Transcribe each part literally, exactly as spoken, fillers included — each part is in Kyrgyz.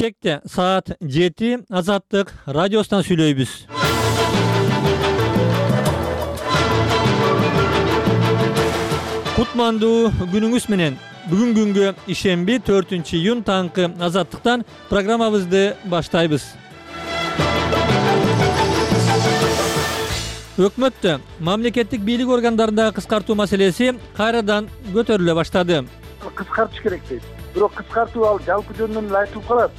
Бишкекте саат жети Азаттык радиосунан сүйлөйбүз. Кутмандуу күнүңүз менен. Бүгүн күнгө ишемби төртүнчү июнь таңкы Азаттыктан программабызды баштайбыз. Өкмөттө мамлекеттик бийлик органдарындагы кыскартуу маселеси кайрадан көтөрүлө баштады. Кыскартыш керек дейт. Бирок кыскартуу ал жалпы жөнүнөн эле айтылып калат.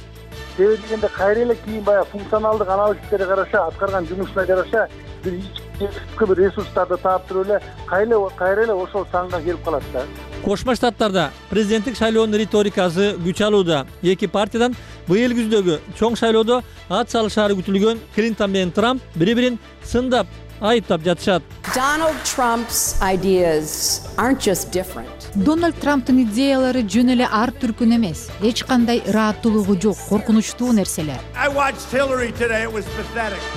Себеби дегенде кайра эле кийин баягы функционалдык анализге караша, аткарган жумушуна жараша бир ички бир ресурстарды таап туруп эле кайра кайра эле ошол санга келип калат да. Кошмо Штаттарда президенттик шайлоонун риторикасы күч алууда. Эки партиядан быйыл күздөгү чоң шайлоодо ат салышаары күтүлгөн Клинтон менен Трамп бири-бирин сындап, айыптап жатышат. Donald Trump's ideas aren't just different. Дональд Трамптын идеялары жөн эле ар түркүн эмес. Эч кандай ырааттуулугу жок, коркунучтуу нерселер.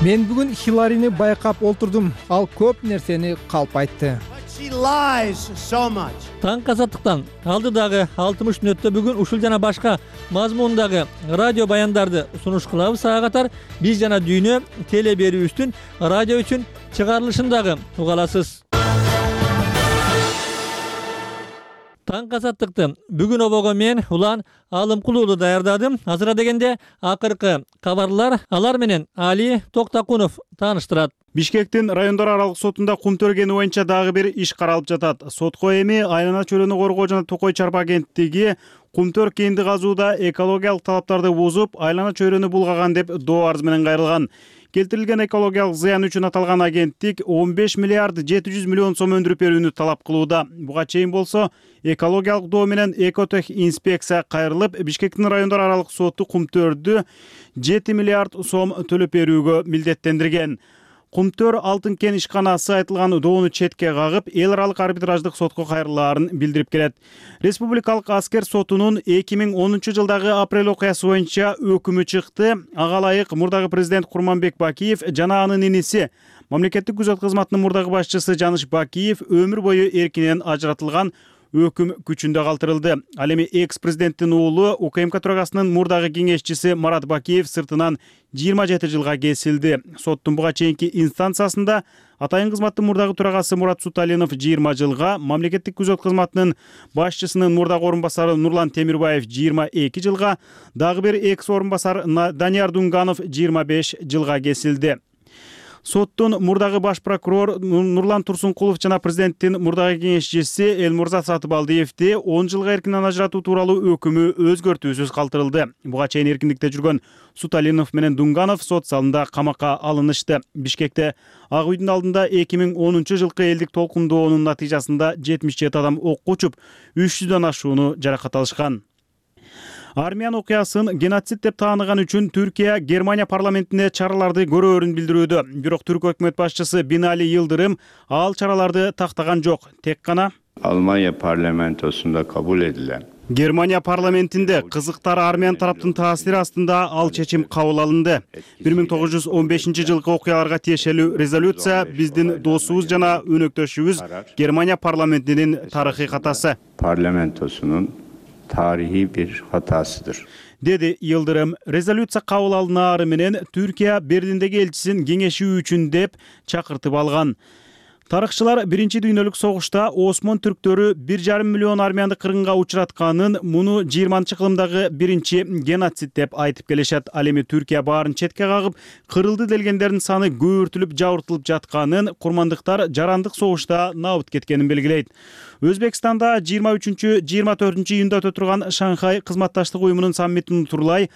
Мен бүгүн Хилларини байкап олтурдум. Ал көп нерсени калп айтты. Таң Азаттыктан алдыдагы алтымыш мүнөттө бүгүн ушул жана башка мазмундагы радио баяндарды сунуш кылабыз. Ага катар биз жана дүйнө теле берүүбүздүн радио үчүн чыгарылышын дагы уга аласыз. Таң Азаттыкты бүгүн обого мен Улан Алымкулуулу даярдадым. Азыра дегенде акыркы кабарлар алар менен Али Токтакунов тааныштырат. Бишкектин райондор аралык сотунда кум төргени боюнча дагы бир иш каралып жатат. Сотко эми айлана чөлөнү коргоо жана Токой чарба агенттиги кумтөр кенди казууда экологиялык талаптарды бузуп, айлана чөйрөнү булгаган деп доо арыз менен кайрылган. Келтирилген экологиялык зыян үчүн аталган агенттик он беш миллиард жети жүз миллион сом өндүрүп берүүнү талап кылууда. Буга чейин болсо экологиялык доо менен Экотех инспекция кайрылып, Бишкектин райондор аралык соту кумтөрдү жети миллиард сом төлөп берүүгө милдеттендирген. Кумтөр Алтын кен ишканасы айтылган доону четке кагып, эл аралык арбитраждык сотко кайрылаарын билдирип келет. Республикалык аскер сотунун эки миң онунчу жылдагы апрель окуясы боюнча өкүмү чыкты. Ага ылайык мурдагы президент Курманбек Бакиев жана анын иниси мамлекеттик күзөт кызматынын мурдагы башчысы Жаныш Бакиев өмүр бою эркинен ажыратылган өкүм күчүндө калтырылды. Ал эми экс-президенттин уулу УКМК төрагасынын мурдагы кеңешчиси Марат Бакиев сыртынан жыйырма жети жылга кесилди. Соттун буга чейинки инстанциясында атайын кызматтын мурдагы төрагасы Мурат Суталинов жыйырма жылга, мамлекеттик күзөт кызматынын башчысынын мурдагы орун басары Нурлан Темирбаев жыйырма эки жылга, дагы бир экс орун басар Данияр Дунганов жыйырма беш жылга кесилди. Соттун мурдагы баш прокурор Нурлан Турсункулов жана президенттин мурдагы кеңешчиси Элмурза Сатыбалдиевди он жылга эркинен ажыратуу тууралуу өкүмү өзгөртүүсүз калтырылды. Буга чейин эркиндикте жүргөн Суталинов менен Дунганов сот залында камакка алынышты. Бишкекте Ак үйдүн алдында эки миң онунчу жылкы элдик толкундоонун натыйжасында жетимиш жети адам окко учуп, үч жүздөн ашууну жаракат алышкан. Армян окуясын геноцид деп тааныган үчүн Түркия Германия парламентине чараларды көрөөрүн билдирүүдө. Бирок түрк өкмөт башчысы Бинали Йылдырым ал чараларды тактаган жок. Тек гана Almanya parlamentosunda kabul edilen Германия парламентинде кызыктар армян тараптын таасири астында ал чечим кабыл алынды. бир миң тогуз жүз он бешинчи жылкы окуяларга тиешелүү резолюция биздин досубуз жана өнөктөшүбүз Германия парламентинин тарыхый катасы. Parlamentosunun tarihi bir hatasıdır. Dedi Yıldırım. Резолюция кабыл алынаары менен Түркия Берлиндеги элчисин кеңешүү үчүн деп чакыртып алган. Тарыхчылар биринчи дүйнөлүк согушта Осмон түрктөрү бир жарым миллион армянды кыргынга учуратканын, муну жыйырманчы кылымдагы биринчи геноцид деп айтып келишет. Ал эми Түркия баарын четке кагып, кырылды делгендердин саны көбүртүлүп жабыртылып жатканын, курмандыктар жарандык согушта набыт кеткенин белгилейт. Өзбекстанда жыйырма үчүнчү жыйырма төртүнчү июнда өтө турган Шанхай кызматташтык уюмунун саммитин турлай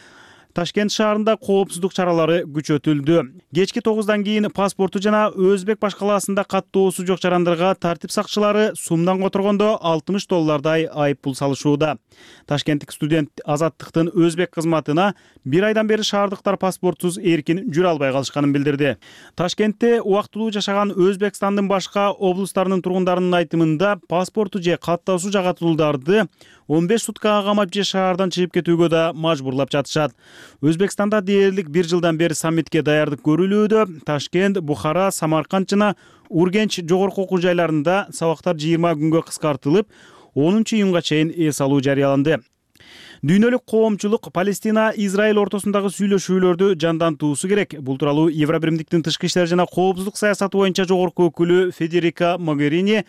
Ташкент шаарында коопсуздук чаралары күчөтүлдү. Кечки тогуздан кийин паспорту жана Өзбек башкалаасында каттоосу жок жарандарга тартип сакчылары сумдан которгондо алтымыш доллардай айып пул салышууда. Ташкенттик студент Азаттыктын Өзбек кызматына бир айдан бери шаардыктар паспортсуз эркин жүрө албай калышканын билдирди. Ташкентте убактылуу жашаган Өзбекстандын башка облустарынын тургундарынын айтымында паспорту же каттоосу жагатуулдарды он беш суткага камап же шаардан чыгып кетүүгө да мажбурлап жатышат. Өзбекстанда дээрлик бир жылдан бери саммитке даярдык көрүлүүдө. Ташкент, Бухара, Самарканд жана Ургенч жогорку окуу жайларында сабактар жыйырма күнгө кыскартылып, онунчу июнга чейин эс алуу жарыяланды. Дүйнөлүк коомчулук Палестина Израиль ортосундагы сүйлөшүүлөрдү жандантуусу керек. Бул тууралуу Евробиримдиктин тышкы иштер жана коопсуздук саясаты боюнча жогорку өкүлү Федерика Могерини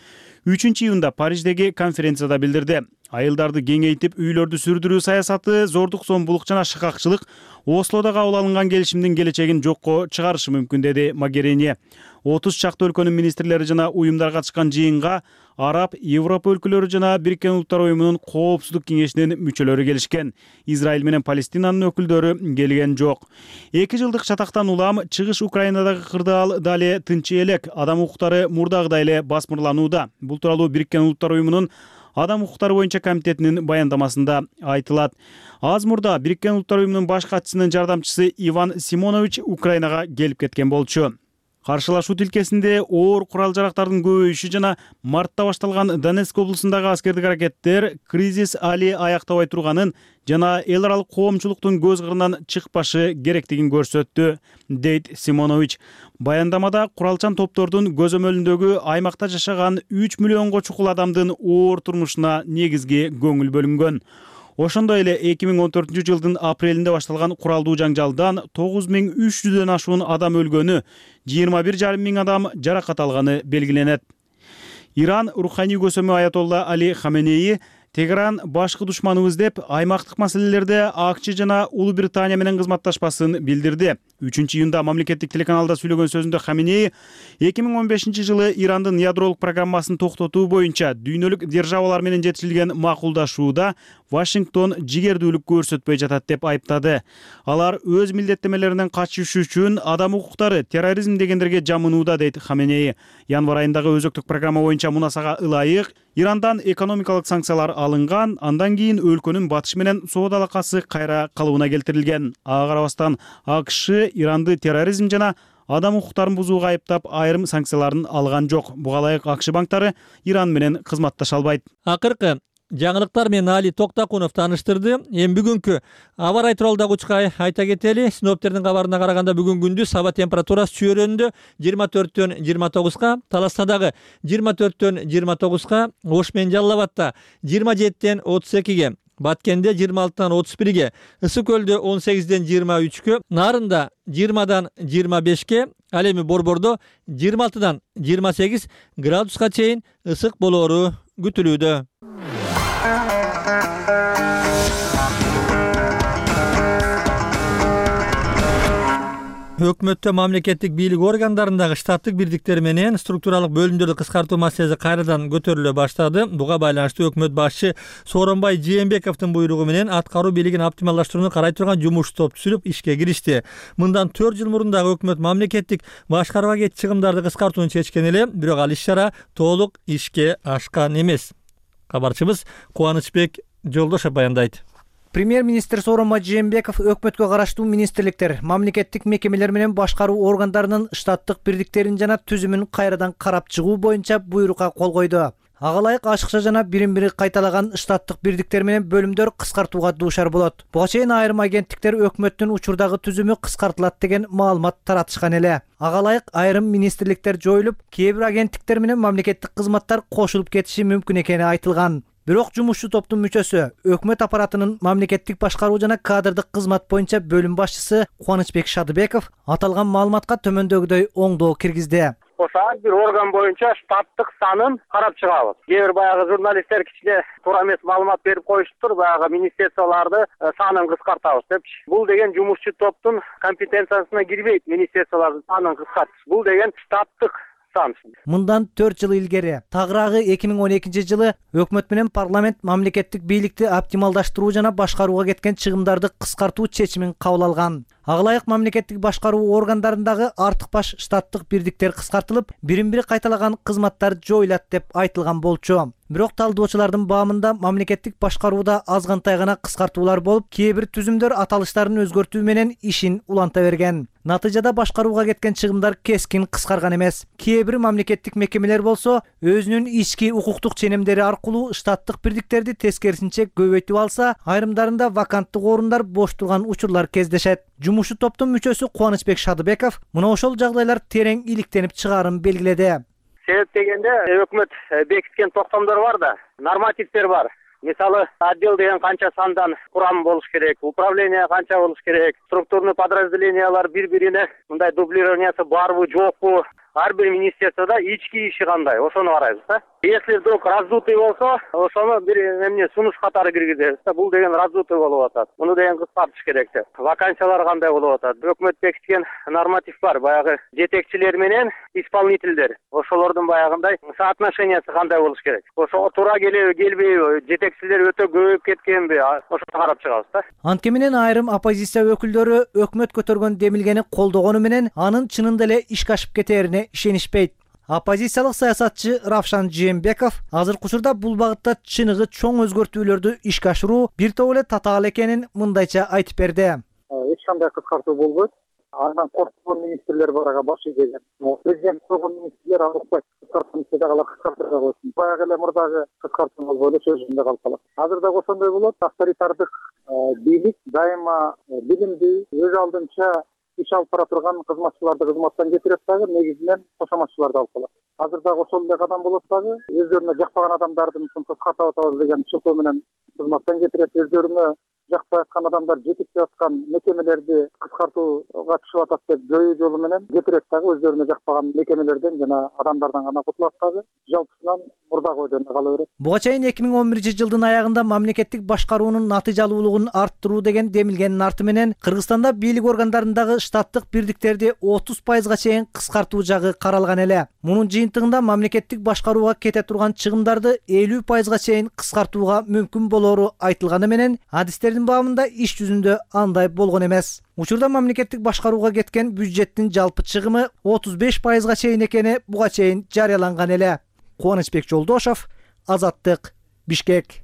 үчүнчү июнда Париждеги конференцияда билдирди. Айылдарды кеңейтип, үйлөрдү сүрдүрүү саясаты, зордук зомбулук жана шыкакчылык Ослода кабыл алынган келишимдин келечегин жокко чыгарышы мүмкүн, деди Могерини. отуз чакты өлкөнүн министрлери жана уюмдар катышкан жыйынга Араб, Европа өлкөлөрү жана Бириккен Улуттар уюмунун коопсуздук кеңешинин мүчөлөрү келишкен. Израиль менен Палестинанын өкүлдөрү келген жок. Эки жылдык чатактан улам чыгыш Украинадагы кырдаал дали тынч элек, адам укуктары мурдагыдай эле басмырланууда. Бул тууралуу Бириккен Улуттар уюмунун Адам укуктары боюнча комитетинин баяндамасында айтылат. Аз мурда Бириккен Улуттар уюмунун баш катчысынын жардамчысы Иван Симонович Украинага келип кеткен болчу. Каршылашуу тилкесинде оор курал-жарактардын көбөйүшү жана мартта башталган Донецк облусундагы аскердик аракеттер кризис али аяктабай турганын жана эл аралык коомчулуктун көз кырынан чыкпашы керектигин көрсөттү, дейт Симонович. Баяндамада куралчан топтордун көзөмөлүндөгү аймакта жашаган үч миллионго чукул адамдын оор турмушуна негизги көңүл бөлүнгөн. Ошондой эле эки миң он төртүнчү жылдын апрелинде башталган куралдуу жаңжалдан тогуз миң үч жүздөн ашуун адам өлгөнү, жыйырма бир жарым миң адам жаракат алганы белгиленет. Иран руханий көсөмү Аятолла Али Хаменеи Тегеран башкы душманыбыз деп аймактык маселелерде АКЧ жана Улуу Британия менен кызматташпасын билдирди. үчүнчү июнда мамлекеттик телеканалда сүйлөгөн сөзүндө Хаменеи эки миң он бешинчи жылы Ирандын ядролук программасын токтотуу боюнча дүйнөлүк державалар менен жетишилген макулдашууда Вашингтон жигердүүлүк көрсөтпөй жатат деп айыптады. Алар өз милдеттемелеринен качыш үчүн адам укуктары, терроризм дегендерге жамынууда, дейт Хаменеи. Январь айындагы өзөктүк программа боюнча мунасага ылайык Ирандан экономикалык санкциялар алынган, андан кийин өлкөнүн батышы менен соода алакасы кайра калыбына келтирилген. Ага карабастан АКШ Иранды терроризм жана адам укуктарын бузууга айыптап айрым санкцияларын алган жок. Буга ылайык АКШ банктары Иран менен кызматташа албайт. Акыркы жаңылыктар менен Али Токтакунов тааныштырды. Эми бүгүнкү аба рай тууралуу учка айта кетели. Синоптиктердин кабарына караганда бүгүн күндүз аба температурасы Чүйөрөндө жыйырма төрттөн жыйырма тогузга, Таластадагы жыйырма төрттөн жыйырма тогузга, Ош менен Жалал Абадта жыйырма жетиден отуз экиге, Баткенде жыйырма алтыдан отуз бирге, Ысык көлдө он сегизден жыйырма үчкө, Нарында жыйырмадан жыйырма бешке, ал эми Борбордо жыйырма алтыдан жыйырма сегиз градуска чейин ысык болоору күтүлүүдө. Өкмөттө мамлекеттик бийлик органдарындагы штаттык бирдиктер менен структуралык бөлүмдөрдү кыскартуу маселеси кайрадан көтөрүлө баштады. Буга байланыштуу өкмөт башчы Сооронбай Жээнбековдун буйругу менен аткаруу бийлигин оптималдаштырууну карай турган жумуш топ түзүлүп ишке киришти. Мындан төрт жыл мурун дагы өкмөт мамлекеттик башкарууга кетчү чыгымдарды кыскартууну чечкен эле, бирок ал иш-чара толук ишке ашкан эмес. Кабарчыбыз Кубанычбек Жолдошев баяндайт. Премьер-министр Сооронбай Жээнбеков өкмөткө караштуу министрликтер, мамлекеттик мекемелер менен башкаруу органдарынын штаттык бирдиктерин жана түзүмүн кайрадан карап чыгуу боюнча буйрукка кол койду. Ага ылайык ашыкча жана бирин-бири кайталаган штаттык бирдиктер менен бөлүмдөр кыскартууга дуушар болот. Буга чейин айрым агенттиктер өкмөттүн учурдагы түзүмү кыскартылат деген маалымат таратышкан эле. Ага ылайык айрым министрликтер жоюлуп, кээ бир агенттиктер менен мамлекеттик кызматтар кошулуп кетиши мүмкүн экени айтылган. Бирок жумушчу топтун мүчөсү, өкмөт аппаратынын мамлекеттик башкаруу жана кадрдык кызмат боюнча бөлүм башчысы Кубанычбек Шадыбеков аталган маалыматка төмөндөгүдөй оңдоо киргизди. Ошо ар бир орган боюнча штаттык санын карап чыгабыз. Кээ бир баягы журналисттер кичине туура эмес маалымат берип коюшуптур, баягы министрлияларды санын кыскартабыз депчи. Бул деген жумушчу топтун компетенциясына кирбейт, министрлиялардын санын кыскартыш. Бул деген штаттык сан. Мындан төрт жыл илгери, тагыраагы эки миң он экинчи жылы өкмөт менен парламент мамлекеттик бийликти оптималдаштыруу жана башкарууга кеткен чыгымдарды кыскартуу чечимин кабыл алган. Ага ылайык мамлекеттик башкаруу органдарындагы артык баш штаттык бирдиктер кыскартылып, бирин-бири кайталаган кызматтар жоюлат деп айтылган болчу. Бирок талдоочулардын баамында мамлекеттик башкарууда азгантай гана кыскартуулар болуп, кээ бир түзүмдөр аталыштарын өзгөртүү менен ишин уланта берген. Натыйжада башкарууга кеткен чыгымдар кескин кыскарган эмес. Кээ бир мамлекеттик мекемелер болсо, өзүнүн ички укуктук ченемдери аркылуу штаттык бирдиктерди тескерисинче көбөйтүп алса, айрымдарында ваканттык орундар бош турган учурлар кездешет. Жумушчу топтун мүчөсү Кубанычбек Шадыбеков мына ошол жагдайлар терең иликтенип чыгаарын белгиледи. Себеп дегенде өкмөт бекиткен токтомдор бар да, нормативдер бар. Мисалы, отдел деген канча сандан курам болуш керек, управление канча болуш керек, структурный подразделениялар бири-бирине мындай дублированиясы барбы, жокпу, ар бир министерствода ички иши кандай, ошону карайбыз да. Если вдруг раздутый болсо, ошону бир эмне сунуш катары киргизебиз да. Бул деген раздутый болуп атат. Муну деген кыскартыш керек деп. Вакансиялар кандай болуп атат? Өкмөт бекиткен норматив бар, баягы жетекчилер менен исполнительдер. Ошолордун баягындай соотношениясы кандай болуш керек? Ошого туура келеби, келбейби? Жетекчилер өтө көбөйүп кеткенби? Ошону карап чыгабыз да. Анткени менен айрым оппозиция өкүлдөрү өкмөт көтөргөн демилгени колдогону менен анын чынында эле ишке ашып кетерине ишенишпейт. Оппозициялык саясатчы Равшан Жээнбеков азыркы учурда бул багытта чыныгы чоң өзгөртүүлөрдү ишке ашыруу бир топ эле татаал экенин мындайча айтып берди. Эч кандай кыскартуу болбойт. Андан корккон министрлер бар, ага баш ийген. Президент койгон министрлер аны укпайт. Кыскартууну дагы кыскартырга койсун. Баягы эле мурдагы кыскартуу болбой эле сөзүндө калып калат. Азыр дагы ошондой болот. Авторитардык бийлик дайыма билимди өз алдынча иш алып бара турган кызматчыларды кызматтан кетирет дагы, негизинен кошоматчыларды алып калат. Азыр дагы ошол эле кадам болот дагы. Өздөрүнө жакпаган адамдарды кыскартып атабыз деген шылтоо менен кызматтан кетирет. Өздөрүнө жакпай аткан адамдар жетиктеп аткан мекемелерди кыскартууга түшүп атат деп жою жолу менен кетирет дагы. Өздөрүнө жакпаган мекемелерден жана адамдардан гана кутулат дагы. Жалпысынан мурдагы ойдон кала берет. Буга чейин эки миң он биринчи жылдын аягында мамлекеттик башкаруунун натыйжалуулугун арттыруу деген демилгенин арты менен Кыргызстанда бийлик органдарындагы штаттык бирдиктерди отуз пайызга чейин кыскартуу жагы каралган эле. Мунун жыйынтыгында мамлекеттик башкарууга кете турган чыгымдарды элүү пайызга чейин кыскартууга мүмкүн болору айтылганы менен адистердин баамында иш жүзүндө андай болгон эмес. Учурда мамлекеттик башкарууга кеткен бюджеттин жалпы чыгымы отуз беш пайызга чейин экени буга чейин жарыяланган эле. Кубанычбек Жолдошов, Азаттык, Бишкек.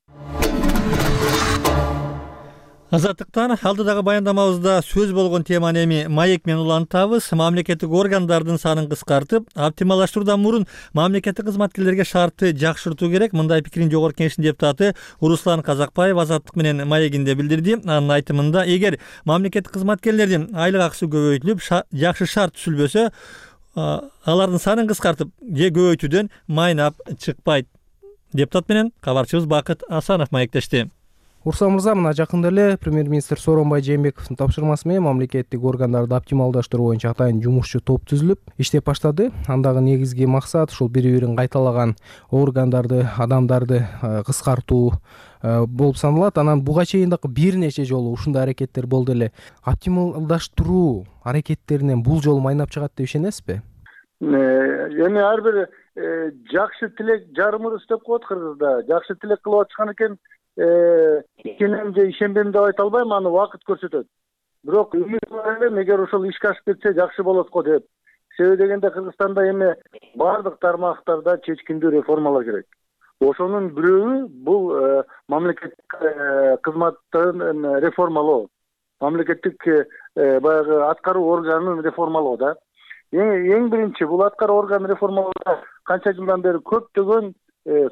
Азаттыктан алдыдагы баяндамабызда сөз болгон теманы эми маек менен улантабыз. Мамлекеттик органдардын санын кыскартып, оптималдаштыруудан мурун мамлекеттик кызматкерлерге шартты жакшыртуу керек. Мындай пикирин Жогорку Кеңештин депутаты Руслан Казакбаев Азаттык менен маегинде билдирди. Анын айтымында, эгер мамлекеттик кызматкерлердин айлык акысы көбөйтүлүп, жакшы шарт түзүлбөсө, алардын санын кыскартып же көбөйтүүдөн майнап чыкпайт. Депутат менен кабарчыбыз Бакыт Асанов маектешти. Урсан мырза, мына жакында эле премьер-министр Сооронбай Жээнбековдун тапшырмасы менен мамлекеттик органдарды оптималдаштыруу боюнча атайын жумушчу топ түзүлүп, иштеп баштады. Андагы негизги максат ушул бири-бирин кайталаган органдарды, адамдарды кыскартуу болуп саналат. Анан буга чейин дагы бир нече жолу ушундай аракеттер болду эле. Оптималдаштыруу аракеттеринен бул жолу майнап чыгат деп ишенесизби? Эми ар бир жакшы тилек жарымыр деп коет Кыргызда. Жакшы тилек кылып атышкан экен, ишенем же ишенбейм деп айта албайм, аны убакыт көрсөтөт. Бирок үмүт бар элем, эгер ошол ишке ашып кетсе жакшы болот го деп. Себеби дегенде Кыргызстанда эми бардык тармактарда чечкиндүү реформалар керек. Ошонун бирөөү бул мамлекеттик кызматтын реформалоо, мамлекеттик баягы аткаруу органын реформалоо да. Эң биринчи бул аткаруу органын реформалоодо канча жылдан бери көптөгөн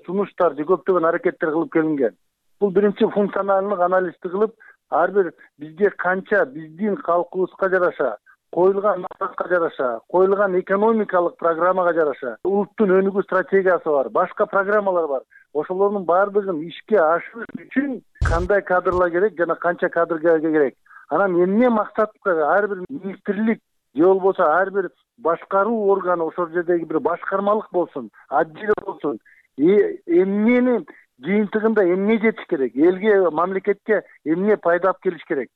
сунуштар же көптөгөн аракеттер кылып келинген. Бул биринчи функционалдык анализди кылып, ар бир бизге канча биздин калкыбызга жараша, коюлган максатка жараша, коюлган экономикалык программага жараша, улуттун өнүгүү стратегиясы бар, башка программалар бар. Ошолордун баардыгын ишке ашырыш үчүн кандай кадрлар керек жана канча кадр керек. Анан эмне максатка ар бир министрлик же болбосо ар бир башкаруу органы ошол жердеги бир башкармалык болсун, отдел болсун, эмнени жыйынтыгында эмне жетиш керек, элге, мамлекетке эмне пайда алып келиш керек.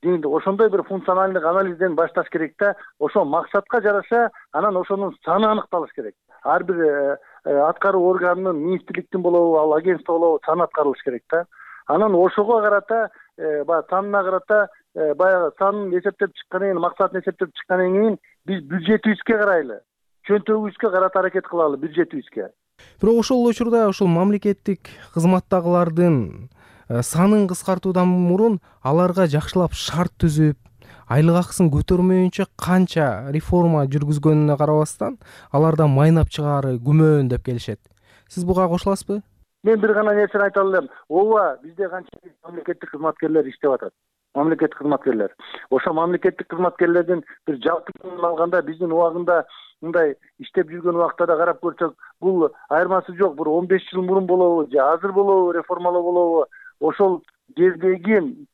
Ошондой бир функционалдык анализден башташ керек да, ошол максатка жараша анан ошонун саны аныкталыш керек. Ар бир аткаруу органынын, министрликтин болобу, ал агентство болобу сан аткарылыш керек да. Анан ошого карата, баягы санына карата, баягы санын эсептеп чыккандан кийин, максатын эсептеп чыккандан кийин биз бюджетибизге карайлы, чөнтөгүбүзгө карата аракет кылалы, бюджетибизге. Бирок ошол учурда ошол мамлекеттик кызматтагылардын санын кыскартуудан мурун аларга жакшылап шарт түзүп, айлык акысын көтөрмөйүнчө канча реформа жүргүзгөнүнө карабастан алардан майнап чыгаары күмөн деп келишет. Сиз буга кошуласызбы? Мен бир гана нерсени айта алам. Ооба, бизде канча мамлекеттик кызматкерлер иштеп атат. Мамлекеттик кызматкерлер. Ошо мамлекеттик кызматкерлердин бир жалпы алганда биздин убагында мындай иштеп жүргөн убакта да карап көрсөк, бул айырмасы жок. Бир он беш жыл мурун болобу же азыр болобу, реформалоо болобу, ошол жердеги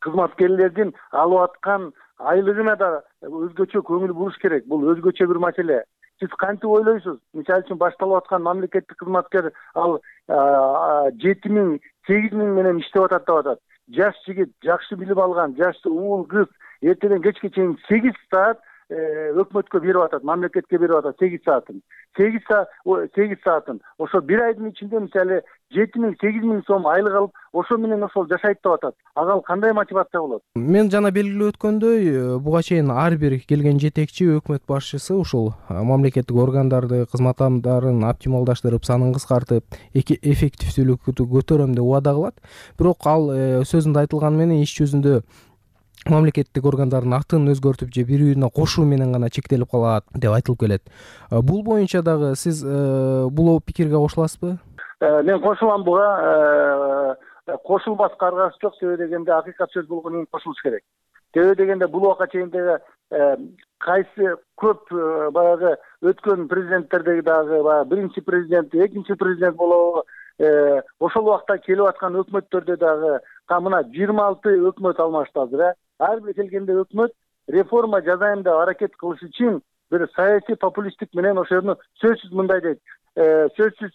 кызматкерлердин алып аткан айлыгына да өзгөчө көңүл буруш керек. Бул өзгөчө бир маселе. Сиз кантип ойлойсуз? Мисалы үчүн башталып аткан мамлекеттик кызматкер ал жети миң сегиз миң менен иштеп атат деп атат. Жаш жигит, жакшы билим алган, жаш уул кыз эртеден кечке чейин сегиз саат өкмөткө берип атат, мамлекетке берип атат сегиз саатын. сегиз саат сегиз саатын. Ошо бир айдын ичинде мисалы жети миң сегиз миң сом айлык алып, ошо менен ошол жашайт деп атат. Ага кандай мотивация болот? Мен жана белгилеп өткөндөй, буга чейин ар бир келген жетекчи өкмөт башчысы ушул мамлекеттик органдарды, кызмат адамдарын оптималдаштырып, санын кыскартып, эффективдүүлүктү көтөрөм деп убада кылат. Бирок ал сөзүндө айтылган менен иш жүзүндө мамлекеттик органдардын атын өзгөртүп же бири-бирине кошуу менен гана чектелип калат деп айтылып келет. Бул боюнча дагы сиз бул пикирге кошуласызбы? Мен кошулам буга. Кошулбаска аргасы жок, себеби дегенде акыйкат сөз болгондон кийин кошулуш керек. Себеби дегенде бул убакка чейин дагы кайсы көп баягы өткөн президенттердеги дагы баягы биринчи президент, экинчи президент болобу, ошол убакта келип аткан өкмөттөрдө дагы мына жыйырма алты өкмөт алмашты азыр. Ар бир келгенде өкмөт реформа жасайм деп аракет кылыш үчүн бир саясий популисттик менен ошону сөзсүз мындай дейт. Сөзсүз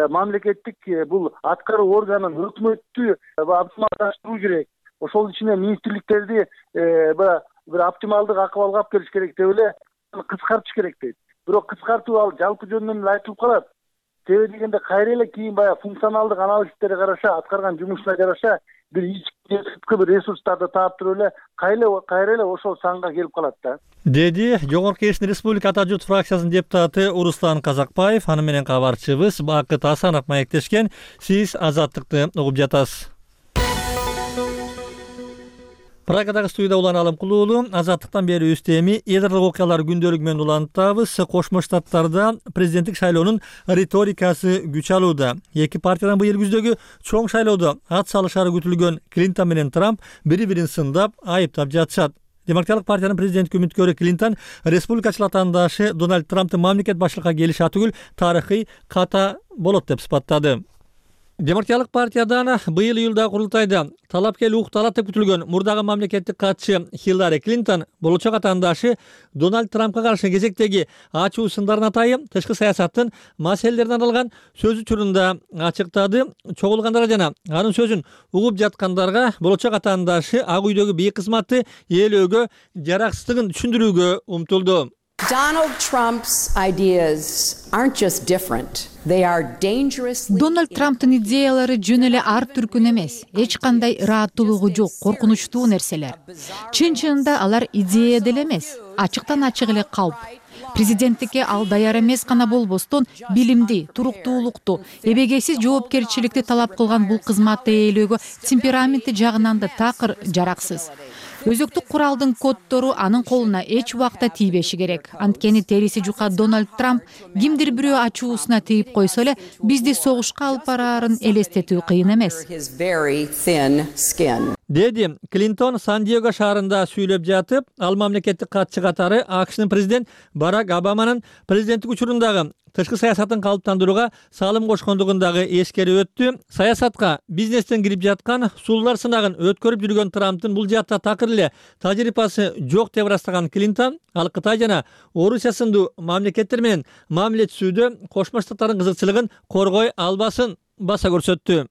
мамлекеттик бул аткаруу органын өкмөттү оптималдаштыруу керек. Ошол ичине министрликтерди бир оптималдык акыбалга алып келиш керек деп эле кыскартыш керек дейт. Бирок кыскартуу ал жалпы жөнүнөн айтылып калат. Себеби дегенде кайра эле кийин баягы функционалдык анализтерге караша, аткарган жумушуна жараша бир ички бир ресурстарды таап туруп эле кайра эле ошол санга келип калат да. Деди Жогорку Кеңештин Республика Ата журт фракциясынын депутаты Уруслан Казакбаев. Аны менен кабарчыбыз Бакыт Асанов маектешкен. Сиз Азаттыкты угуп жатасыз. Прагадагы студияда Улан Алымкулуулу. Азаттыктан бери үстеми эдрлик окуялар күндөлүгү менен улантабыз. Кошмо Штаттарда президенттик шайлоонун риторикасы күч алууда. Эки партиядан быйыл күздөгү чоң шайлоодо ат салышары күтүлгөн Клинтон менен Трамп бири-бирин сындап, айыптап жатышат. Демократиялык партиянын президенттик үмүткөрү Клинтон республикачыл атаандашы Дональд Трамптын мамлекет башчылыкка келиши атүгүл тарыхый ката болот деп сыпаттады. Демократиялык партиядан быйыл июлдагы курултайда талапкер укталат деп күтүлгөн мурдагы мамлекеттик катчы Хиллари Клинтон болочок атаандашы Дональд Трампка каршы кезектеги ачуу сындарын атайын тышкы саясаттын маселелерине арналган сөз учурунда ачыктады. Чогулгандар жана анын сөзүн угуп жаткандарга болочок атаандашы Ак үйдөгү бийик кызматты ээлөөгө жараксыздыгын түшүндүрүүгө умтулду. Donald Trump's ideas aren't just different. They are dangerously. Дональд Трамптын идеялары жөн эле ар түркүн эмес, эч кандай ырааттуулугу жок, коркунучтуу нерселер. Чын-чынында алар идея деле эмес, ачыктан ачык эле кауп. Президенттикке ал даяр эмес гана болбостон, билимди, туруктуулукту, эбегейсиз жоопкерчиликти талап кылган бул кызматты ээлөөгө темпераменти жагынан да такыр жараксыз. Өзөктүк куралдын коддору анын колуна эч убакта тийбеши керек. Анткени териси жука Дональд Трамп кимдир бирөө ачуусуна тийип койсо эле бизди согушка алып бараарын элестетүү кыйын эмес. Деди Клинтон Сан-Диего шаарында сүйлөп жатып, ал мамлекеттик катчы катары АКШнын президент Барак Обаманын президенттик учурундагы тышкы саясатын калыптандырууга салым кошкондугун дагы эскерип өттү. Саясатка бизнестен кирип жаткан сулуулар сынагын өткөрүп жүргөн Трамптын бул жаатта такыр эле тажрыйбасы жок деп ырастаган Клинтон, ал Кытай жана Орусия сындуу мамлекеттер менен мамиле түзүүдө Кошмо Штаттардын кызыкчылыгын коргой албасын баса көрсөттү.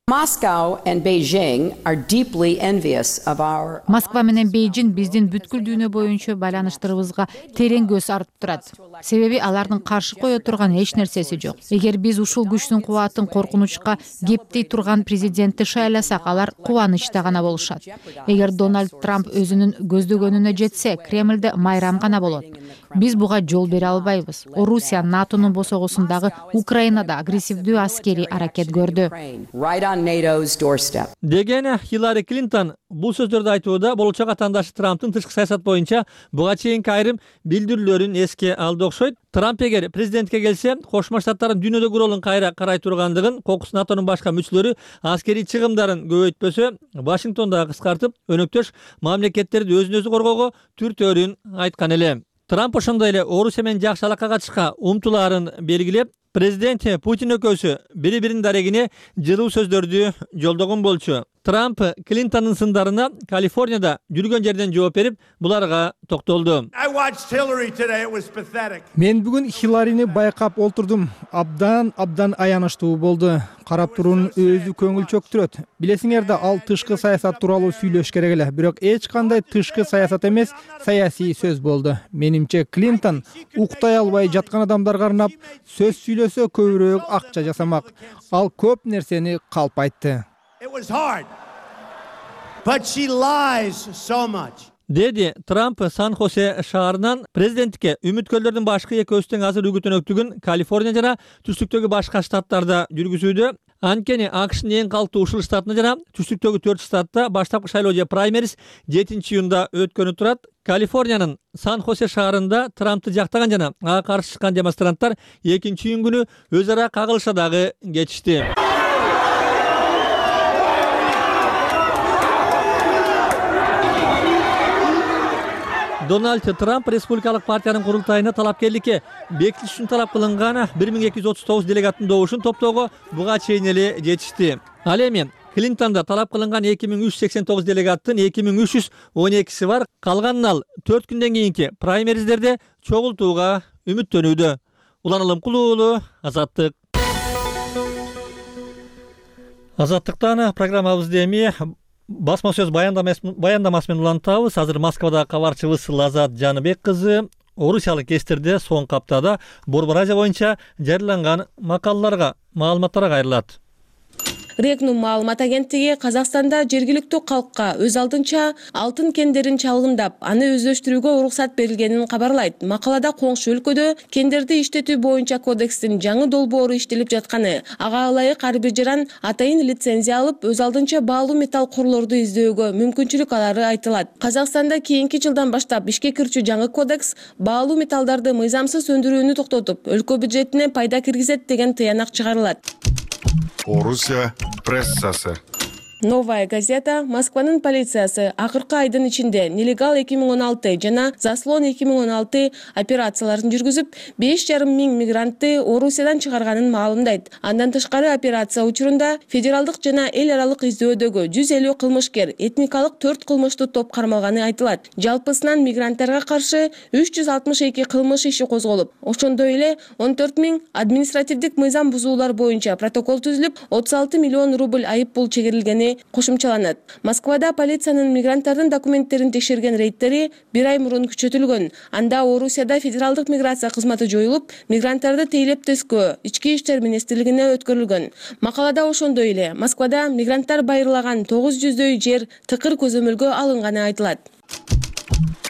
Москва менен Бейжин биздин бүткүл дүйнө боюнча байланыштарыбызга терең көз артып турат. Себеби алардын каршы кое турган эч нерсеси жок. Эгер биз ушул күчтүн кубатын коркунучка кептей турган президентти шайласак, алар кубанычта гана болушат. Эгер Дональд Трамп өзүнүн көздөгөнүнө жетсе, Кремлде майрам гана болот. Биз буга жол бере албайбыз. Орусия НАТОнун босогосундагы Украинада агрессивдүү аскерий аракет көрдү. Деген Хиллари Клинтон бул сөздөрдү айтууда болочок атаандашы Трамптын тышкы саясат боюнча буга чейинки айрым билдирүүлөрүн эске алды окшойт. Трамп эгер президентке келсе, Кошмо Штаттардын дүйнөдөгү ролун кайра карай тургандыгын, кокус НАТОнун башка мүчөлөрү аскерий чыгымдарын көбөйтпөсө, Вашингтонда кыскартып, өнөктөш мамлекеттерди өзүн өзү коргоого түртөөрүн айткан эле. Трамп ошондой эле Орусия менен жакшы алакага чыкка умтулаарын белгилеп, Президент Путин экөөсү бири-биринин дарегине жылуу сөздөрдү жолдогон болчу. Трамп Клинтондун сындарына Калифорнияда жүргөн жерден жооп берип, буларга токтолду. Мен бүгүн Хилларини байкап олтурдум. Абдан абдан аянычтуу болду. Карап туруун өзү көңүл чөктүрөт. Билесиңер да, ал тышкы саясат тууралуу сүйлөш керек эле, бирок эч кандай тышкы саясат эмес, саясий сөз болду. Менимче Клинтон уктай албай жаткан адамдарга арнап сөз сүйлөсө көбүрөөк акча жасамак. Ал көп нерсени калп айтты. Деди Трамп Сан-Хосе шаарынан президенттикке үмүткөрлөрдүн башкы экөөсүнүн азыр үгүтөнөктүгүн Калифорния жана түштүктөгү башка штаттарда жүргүзүүдө. Анткени АКШнын эң калктуу ушул штатында жана түштүктөгү төрт штатта баштапкы шайлоо же праймериз жетинчи июнда өткөнү турат. Калифорниянын Сан-Хосе шаарында Трампты жактаган жана ага каршы чыккан демонстранттар экинчи июнь күнү өз ара кагылыша дагы кетишти. Дональд Трамп Республикалык партиянын курултайына талапкерликке бекитиш үчүн талап кылынган бир миң эки жүз отуз тогуз делегаттын добушун топтоого буга чейин эле жетишти. Ал эми Клинтонда талап кылынган эки миң үч жүз сексен тогуз делегаттын эки миң үч жүз он экиси бар. Калганын ал төрт күндөн кийинки праймериздерде чогултууга үмүттөнүүдө. Улан Алымкулуу уулу, Азаттык. Азаттыктан программабызды эми басма сөз баяндамасы менен улантабыз. Азыр Москвада кабарчыбыз Лазат Жаныбек кызы орусиялык кестерде соңку аптада Борбор Азия боюнча жарыяланган макалаларга, маалыматтарга кайрылат. Регнум маалымат агенттиги Казакстанда жергиликтүү калкка өз алдынча алтын кендерин чалгындап, аны өздөштүрүүгө уруксат берилгенин кабарлайт. Макалада коңшу өлкөдө кендерди иштетүү боюнча кодекстин жаңы долбоору иштелип жатканы, ага ылайык ар бир жаран атайын лицензия алып, өз алдынча баалуу металл курлорду издөөгө мүмкүнчүлүк алары айтылат. Казакстанда кийинки жылдан баштап ишке кирчү жаңы кодекс баалуу металлдарды мыйзамсыз өндүрүүнү токтотуп, өлкө бюджетине пайда киргизет деген тыянак чыгарылат. Орусия прессасы. Новая газета Москванын полициясы акыркы айдын ичинде нелегал эки миң он алты жана заслон эки миң он алты операцияларын жүргүзүп, беш жарым миң мигрантты Орусиядан чыгарганын маалымдайт. Андан тышкары операция учурунда федералдык жана эл аралык издөдөгү жүз элүү кылмышкер, этникалык төрт кылмыштуу топ кармалганы айтылат. Жалпысынан мигранттарга каршы үч жүз алтымыш эки кылмыш иши козголуп, ошондой эле он төрт миң административдик мыйзам бузуулар боюнча протокол түзүлүп, отуз алты миллион рубль айып пул чегерилгени кошумчаланат. Москвада полициянын мигранттардын документтерин текшерген рейдтери бир ай мурун күчөтүлгөн. Анда Орусияда федералдык миграция кызматы жоюлуп, мигранттарды тейлеп тескөө ички иштер министрлигине өткөрүлгөн. Макалада ошондой эле Москвада мигранттар байырлаган тогуз жүздөй жер тыкыр көзөмөлгө алынганы айтылат.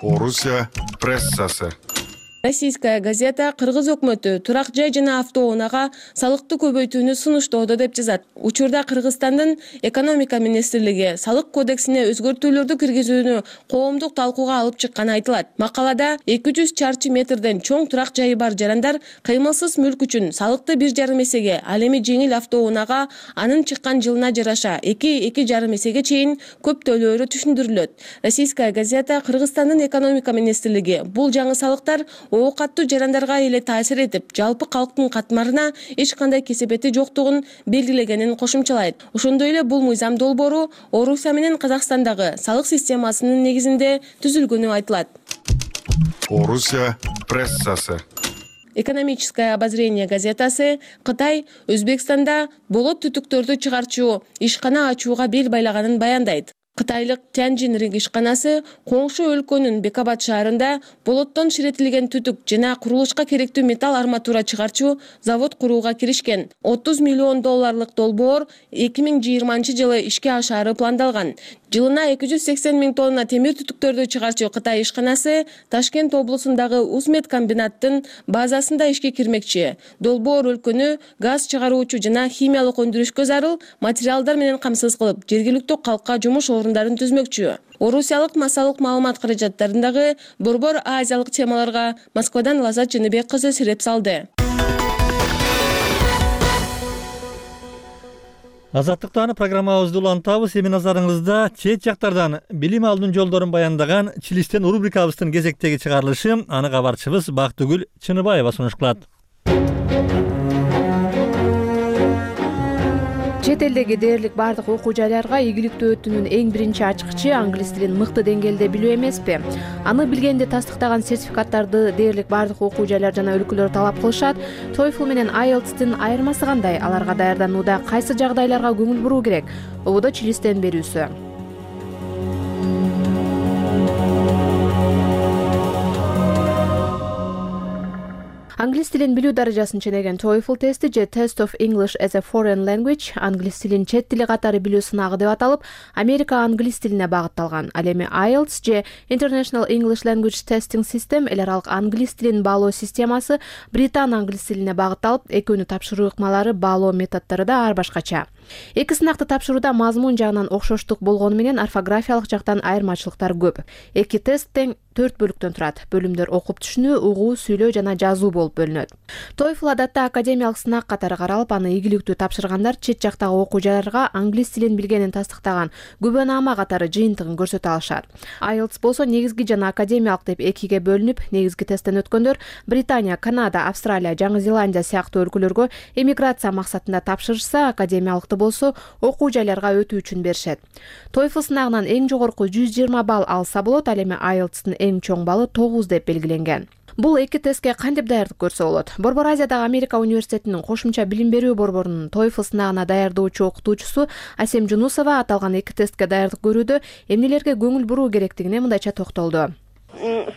Орусия прессасы. Российская газета кыргыз өкмөтү турак жай жана автоунаага салыкты көбөйтүүнү сунуштоодо деп жазат. Учурда Кыргызстандын экономика министрлиги салык кодексине өзгөртүүлөрдү киргизүүнү коомдук талкууга алып чыкканы айтылат. Макалада эки жүз чарчы метрден чоң турак жайы бар жарандар кыймылсыз мүлк үчүн салыкты бир жарым эсеге, ал эми жеңил автоунаага анын чыккан жылына жараша эки эки жарым эсеге чейин көп төлөөрү түшүндүрүлөт. Российская газета Кыргызстандын экономика министрлиги бул жаңы салыктар оокаттуу жарандарга эле таасир этип, жалпы калктын катмарына эч кандай кесепети жоктугун белгилегенин кошумчалайт. Ошондой эле бул мыйзам долбоору Орусия менен Казакстандагы салык системасынын негизинде түзүлгөнү айтылат. Орусия прессасы. Экономическое обозрение газетасы Кытай Өзбекстанда болот түтүктөрдү чыгарчу ишкана ачууга бел байлаганын баяндайт. Кытайлык Тяньжин ринг ишканасы коңшу өлкөнүн Бекабад шаарында болоттон ширетилген түтүк жана курулушка керектүү металл арматура чыгарчу завод курууга киришкен. отуз миллион долларлык долбоор эки миң жыйырманчы жылы ишке ашаары пландалган. Жылына эки жүз сексен миң тонна темир түтүктөрдү чыгарчу Кытай ишканасы Ташкент облусундагы Узмет комбинаттын базасында ишке кирмекчи. Долбоор өлкөнү газ чыгаруучу жана химиялык өндүрүшкө зарыл материалдар менен камсыз кылып, жергиликтүү калкка жумуш орундарын түзмөкчү. Орусиялык массалык маалымат каражаттарындагы Борбор Азиялык темаларга Москвадан Лазат Жаныбек кызы сиреп салды. Азаттыктан программабызды улантабыз. Эми назарыңызда чет жактардан билим алуунун жолдорун баяндаган Чилистен рубрикабыздын кезектеги чыгарылышы. Аны кабарчыбыз Бактыгүл Чыныбаева сунуш кылат. Чет элдеги дээрлик бардык окуу жайларга ийгиликтүү өтүүнүн эң биринчи ачкычы англис тилин мыкты деңгээлде билүү эмеспи? Аны билгенди тастыктаган сертификаттарды дээрлик бардык окуу жайлар жана өлкөлөр талап кылышат. TOEFL менен айлтстын айырмасы кандай? Аларга даярданууда кайсы жагдайларга көңүл буруу керек? Ободо Чилистен берүүсү. Англис тилин билүү даражасын ченеген TOEFL тести же Test of English as a Foreign Language англис тилин чет тили катары билүү сынагы деп аталып, Америка англис тилине багытталган. Ал эми айлтс же International English Language Testing System эл аралык англис тилин баалоо системасы британ англис тилине багытталып, экөөнүн тапшыруу ыкмалары, баалоо методдору да ар башкача. Эки сынакты тапшырууда мазмун жагынан окшоштук болгону менен орфографиялык жактан айырмачылыктар көп. Эки тест тең төрт бөлүктөн турат. Бөлүмдөр окуп түшүнүү, угуу, сүйлөө жана жазуу болуп бөлүнөт. TOEFL адатта академиялык сынак катары каралып, аны ийгиликтүү тапшыргандар чет жактагы окуу жайларга англис тилин билгенин тастыктаган күбөнаама катары жыйынтыгын көрсөтө алышат. айлтс болсо негизги жана академиялык деп экиге бөлүнүп, негизги тесттен өткөндөр Британия, Канада, Австралия, Жаңы Зеландия сыяктуу өлкөлөргө эмиграция максатында тапшырышса, академиялыкты болсо окуу жайларга өтүү үчүн беришет. TOEFL сынагынан эң жогорку жүз жыйырма балл алса болот, ал эми айлтстын эң чоң баллы тогуз деп белгиленген. Бул эки тестке кантип даярдык көрсө болот? Борбор Азиядагы Америка университетинин кошумча билим берүү борборунун TOEFL сынагына даярдоочу окутуучусу Асем Жунусова аталган эки тестке даярдык көрүүдө эмнелерге көңүл буруу керектигине мындайча токтолду.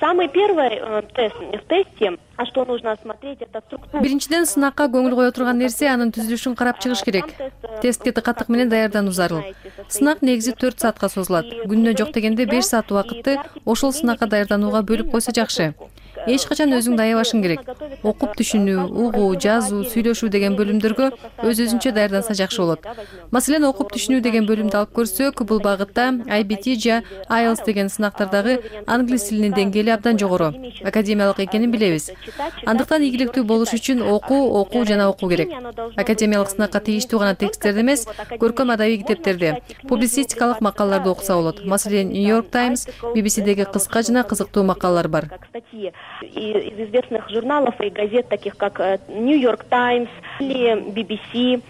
Самый первый тест в тесте, а что нужно смотреть, это структура. Биринчиден сынакка көңүл кое турган нерсе анын түзүлүшүн карап чыгыш керек. Тестке тыкаттык менен даярдануу зарыл. Сынак негизи төрт саатка созулат. Күнүнө жок дегенде беш саат убакытты ошол сынакка даярданууга бөлүп койсо жакшы. Эч качан өзүңдү аябашың керек. Окуп түшүнүү, угуу, жазуу, сүйлөшүү деген бөлүмдөргө өз өзүнчө даярданса жакшы болот. Маселен, окуп түшүнүү деген бөлүмдү алып көрсөк, бул багытта ай би ти же айлтс деген сынактардагы англис тилинин деңгээли абдан жогору, академиялык экенин билебиз. Андыктан ийгиликтүү болуш үчүн окуу, окуу жана окуу керек. Академиялык сынакка тийиштүү гана тексттерди эмес, көркөм адабий китептерди, публицистикалык макалаларды окуса болот. Маселен, New York Times, би би си-деги кыска жана кызыктуу макалалар бар. Из известных журналов и газет, таких как New York Times или би би си.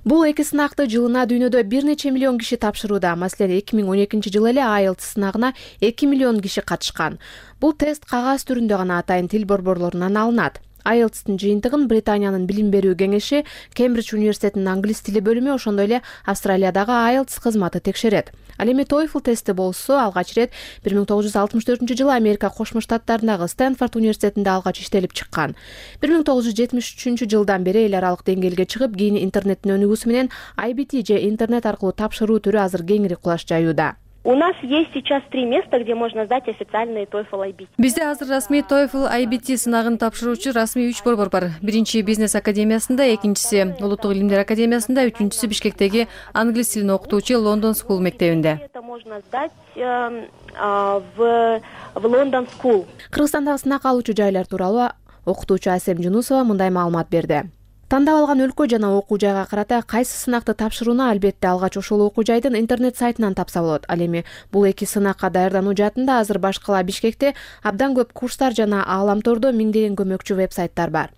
Бул эки сынакты жылына дүйнөдө бир нече миллион киши тапшырууда. Маселен, эки миң он экинчи жылы эле айлтс сынагына эки миллион киши катышкан. Бул тест кагаз түрүндө гана атайын тил борборлорунан алынат. айлтстын жыйынтыгын Британиянын билим берүү кеңеши, Кембридж университетинин англис тили бөлүмү, ошондой эле Австралиядагы айлтс кызматы текшерет. Ал эми TOEFL тести болсо алгач ирет бир миң тогуз жүз алтымыш төртүнчү жылы Америка Кошмо Штаттарындагы Стэнфорд университетинде алгач иштелип чыккан. бир миң тогуз жүз жетимиш үчүнчү жылдан бери эл аралык деңгээлге чыгып, кийин интернеттин өнүгүүсү менен ай би ти же интернет аркылуу тапшыруу түрү азыр кеңири кулаш жаюуда. У нас есть сейчас три места, где можно сдать официальный TOEFL ай би ти. Бизде азыр расмий TOEFL ай би ти сынагын тапшыруучу расмий үч борбор бар. Биринчи бизнес академиясында, экинчиси улуттук илимдер академиясында, үчүнчүсү Бишкектеги англис тилин окутуучу Лондон School мектебинде. Это можно сдать в в Лондон School. Кыргызстандагы сынак алуучу жайлар тууралуу окутуучу Асем Жунусова мындай маалымат берди. Тандап алган өлкө жана окуу жайга карата кайсы сынакты тапшырууну албетте алгач ошол окуу жайдын интернет сайтынан тапса болот. Ал эми бул эки сынакка даярдануу жаатында азыр башкала Бишкекте абдан көп курстар жана ааламтордо миңдеген көмөкчү вебсайттар бар.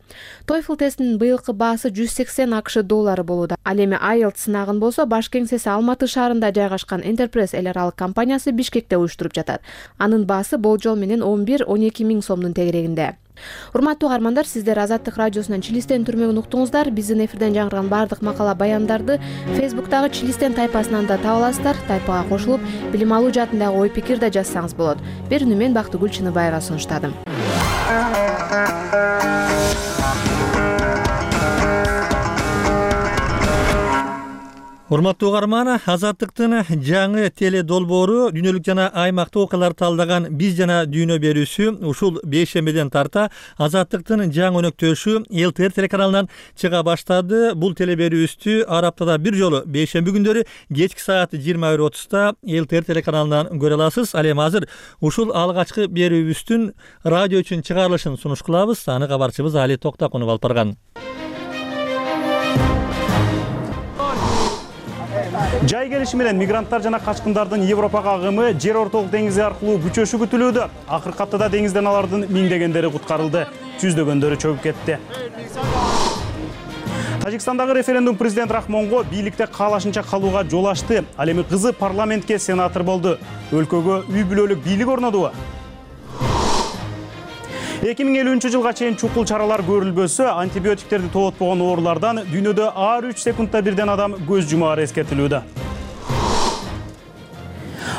TOEFL тестинин быйылкы баасы жүз сексен акш доллары болууда. Ал эми айлтс сынагын болсо баш кеңсеси Алматы шаарында жайгашкан Enterprise эл аралык компаниясы Бишкекте уюштуруп жатат. Анын баасы болжол менен он бир он эки миң сомдун тегерегинде. Урматтуу каармандар, сиздер Азаттык радиосунан Чилистен түрмөгүн уктуңуздар. Биздин эфирден жаңырган бардык макала баяндарды Facebook'тагы Чилистен тайпасынан да таба аласыздар. Тайпага кошулуп, билим алуу жаатындагы ой пикир да жазсаңыз болот. Берүүнү мен Бактыгүл Чыныбаева сунуштадым. Урматтуу каарман, Азаттыктын жаңы теле долбоору дүйнөлүк жана аймактык окуяларды талдаган Биз жана дүйнө берүүсү ушул бейшембиден тарта Азаттыктын жаңы өнөктөшү эл ти эр телеканалынан чыга баштады. Бул теле берүүбүздү ар аптада бир жолу бейшемби күндөрү кечки саат жыйырма бир отузда эл ти эр телеканалынан көрө аласыз. Ал эми азыр ушул алгачкы берүүбүздүн радио үчүн чыгарылышын сунуш кылабыз. Аны кабарчыбыз Али Токтакунов алып барган. Жай келиши менен мигранттар жана качкындардын Европага агымы жер ортолук деңизи аркылуу күчөшү күтүлүүдө. Акыркы аптада деңизден алардын миңдегендери куткарылды, жүздөгөндөрү чөгүп кетти. Тажикстандагы референдум президент Рахмонго бийликте каалашынча калууга жол ачты. Ал эми кызы парламентке сенатор болду. Өлкөгө үй бүлөлүк бийлик орнодубу? эки миң элүүнчү жылга чейин чукул чаралар көрүлбөсө, антибиотиктерди тоотпогон оорулардан дүйнөдө ар үч секундда бирден адам көз жумаары эскертилүүдө.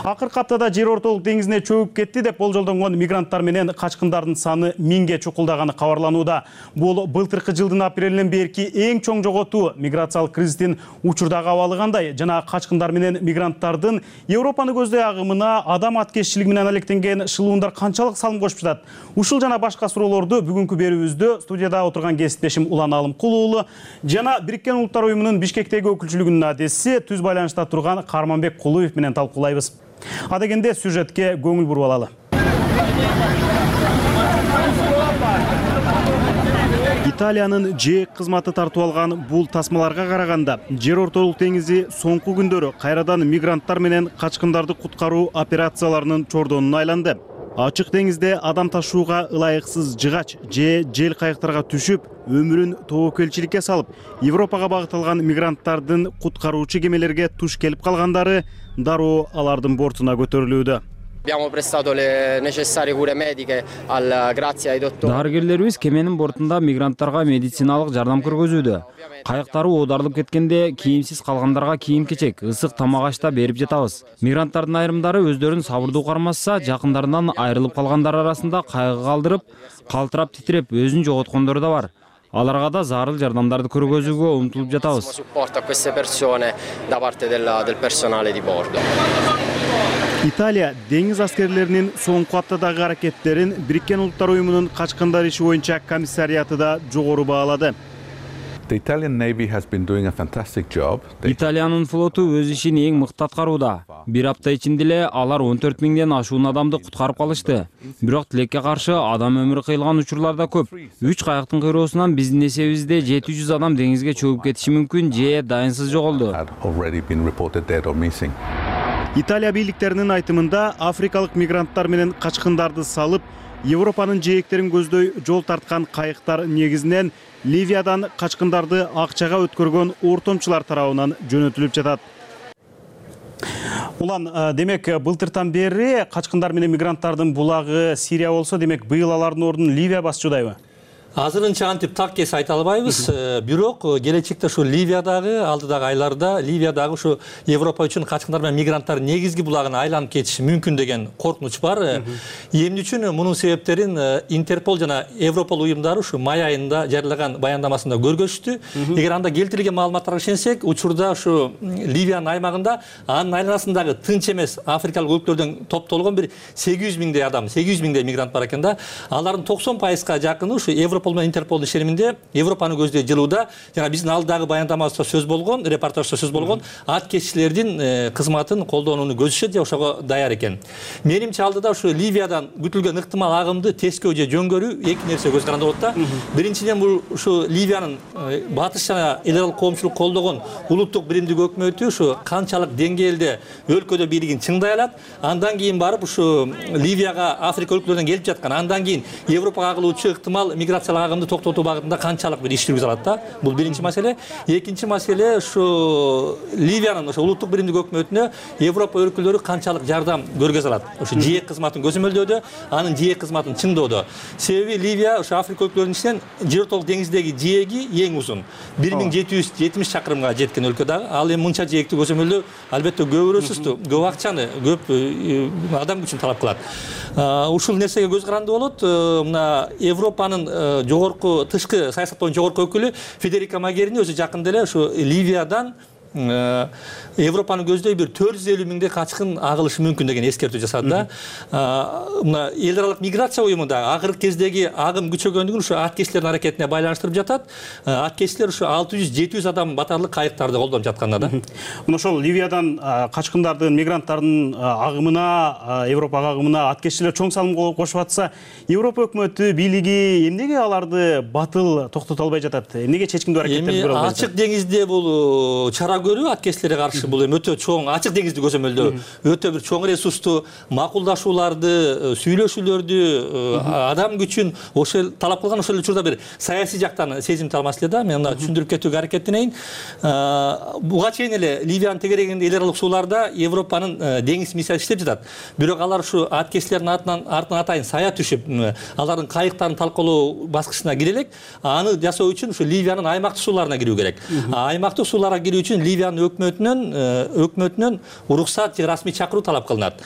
Акыркы аптада жер ортолук деңизине чөгүп кетти деп болжолдонгон мигранттар менен качкындардын саны миңге чукулдаганы кабарланууда. Бул былтыркы жылдын апрелинен берки эң чоң жоготуу. Миграциялык кризистин учурдагы абалы кандай жана качкындар менен мигранттардын Европаны көздөй агымына адам аткезчилиги менен алектенген шылуундар канчалык салым кошуп жатат? Ушул жана башка суроолорду бүгүнкү берүүбүздө студияда отурган кесиптешим Улан Алымкул уулу жана Бириккен Улуттар уюмунун Бишкектеги өкүлчүлүгүнүн адеси Түз байланышта турган Карманбек Кулуев менен талкуулайбыз. Адегенде сюжетке көңүл буруп алалы. Италиянын жээк кызматы тартып алган бул тасмаларга караганда жер ортолук деңизи соңку күндөрү кайрадан мигранттар менен качкындарды куткаруу операцияларынын чордонуна айланды. Ачык деңизде адам ташууга ылайыксыз жыгач же жел кайыктарга түшүп, өмүрүн тобокелчиликке салып, Европага багытталган мигранттардын куткаруучу кемелерге туш келип калгандары дароо алардын бортуна көтөрүлүүдө. Дарыгерлерибиз кеменин бортунда мигранттарга медициналык жардам көргөзүүдө. Кайыктары оодарылып кеткенде кийимсиз калгандарга кийим-кечек, ысык тамак аш да берип жатабыз. Мигранттардын айрымдары өздөрүн сабырдуу кармашса, жакындарынан айрылып калгандар арасында кайгы калтырып, калтырап титиреп өзүн жоготкондор да бар. Аларга да зарыл жардамдарды көргөзүүгө умтулуп жатабыз. Италия деңиз аскерлеринин соңку аптадагы аракеттерин Бириккен Улуттар уюмунун качкындар иши боюнча комиссариаты да жогору баалады. Италиянын флоту өз ишин эң мыкты аткарууда. Бир апта ичинде эле алар он төрт миңден ашуун адамды куткарып калышты. Бирок тилекке каршы адам өмүрү кыйылган учурлар да көп. Үч кайыктын кыйроосунан биздин эсебибизде жети жүз адам деңизге чөгүп кетиши мүмкүн же дайынсыз жоголду. Италия бийликтеринин айтымында африкалык мигранттар менен качкындарды салып, Европанын жээктерин көздөй жол тарткан кайыктар негизинен Ливиядан качкындарды акчага өткөргөн ортомчулар тарабынан жөнөтүлүп жатат. Улан, демек былтыртан бери качкындар менен мигранттардын булагы Сирия болсо, демек быйыл алардын ордун Ливия басчудайбы? Азырынча антип так кес айта албайбыз, бирок келечекте ушу Ливиядагы алдыдагы айларда Ливиядагы ушу Европа үчүн качкындар менен мигранттар негизги булагына айланып кетиши мүмкүн деген коркунуч бар. Эмне үчүн мунун себептерин Интерпол жана Европол уюмдары ушу май айында жарыялаган баяндамасында көргөзүштү. Эгер анда келтирилген маалыматтарга ишенсек, учурда ушу Ливиянын аймагында анын айланасындагы тынч эмес африкалык өлкөлөрдөн топтолгон бир сегиз жүз миңдей адам, сегиз жүз миңдей мигрант бар экен да. Алардын токсон пайызга жакыны ушу Европол менен Интерпол ишениминде Европаны көздөй жылууда жана биздин алдагы баяндамабызда сөз болгон, репортажда сөз болгон аткезчилердин кызматын колдонууну көздөшөт же ошого даяр экен. Менимче алдыда ушу Ливиядан күтүлгөн ыктымал агымды тескөө же жөнгөрүү эки нерсе көз каранды болот да. Биринчиден бул ушу Ливиянын батыш жана эл аралык коомчулук колдогон улуттук биримдик өкмөтү ушу канчалык деңгээлде өлкөдө бийлигин чыңдай алат. Андан кийин барып ушу Ливияга Африка өлкөлөрүнөн келип жаткан, андан кийин Европага агылуучу ыктымал миграциялык агымды токтотуу багытында канчалык бир иш жүргүзө алат да. Бул биринчи маселе. Экинчи маселе ушу Ливиянын ошо улуттук биримдик өкмөтүнө Европа өлкөлөрү канчалык жардам көргөзө алат. Ошо жээк кызматын көзөмөлдөөдө, анын жээк кызматын чыңдоодо. Себеби Ливия ошо Африка өлкөлөрүнүн ичинен жер ортолук деңиздеги жээги эң узун. бир миң жети жүз жетимиш чакырымга жеткен өлкө дагы. Ал эми мынча жээкти көзөмөлдөө албетте көп ресурсту, көп акчаны, көп адам күчүн талап кылат. Ушул нерсеге көз каранды болот. Мына Европанын жогорку тышкы саясат боюнча жогорку өкүлү Федерика Могерини өзү жакында эле ушу Ливиядан Европаны көздөй бир төрт жүз элүү миңдей качкын агылышы мүмкүн деген эскертүү жасады да. Мына эл аралык миграция уюму да акыркы кездеги агым күчөгөндүгүн ушу аткезчилердин аракетине байланыштырып жатат. Аткезчилер ушу алты жүз жети жүз адам батарлык кайыктарды колдонуп жатканда да. Мына ошол Ливиядан качкындардын, мигранттардын агымына, Европага агымына аткезчилер чоң салым кошуп атса, Европа өкмөтү, бийлиги эмнеге аларды батыл токтото албай жатат? Эмнеге чечкиндүү аракеттерди көрө албайт? Ачык деңизде бул чара кара көлү аткезчилерге каршы бул эми өтө чоң ачык деңизди көзөмөлдөө өтө бир чоң ресурсту макулдашууларды сүйлөшүүлөрдү адам күчүн ошол талап кылган ошол учурда бир саясий жактан сезимтал маселе да. Мен мына түшүндүрүп кетүүгө аракеттенейин. Буга чейин эле Ливиянын тегерегинде эл аралык сууларда Европанын деңиз миссиясы иштеп жатат. Бирок алар ушу аткезчилердин артынан артынан атайын сая түшүп, алардын кайыктарын талкалоо баскычына кире элек. Аны жасоо үчүн ушу Ливиянын аймактык сууларына кирүү керек. Аймактык сууларга кирүү үчүн Ливиянын өкмөтүнөн өкмөтүнөн уруксат же расмий чакыруу талап кылынат.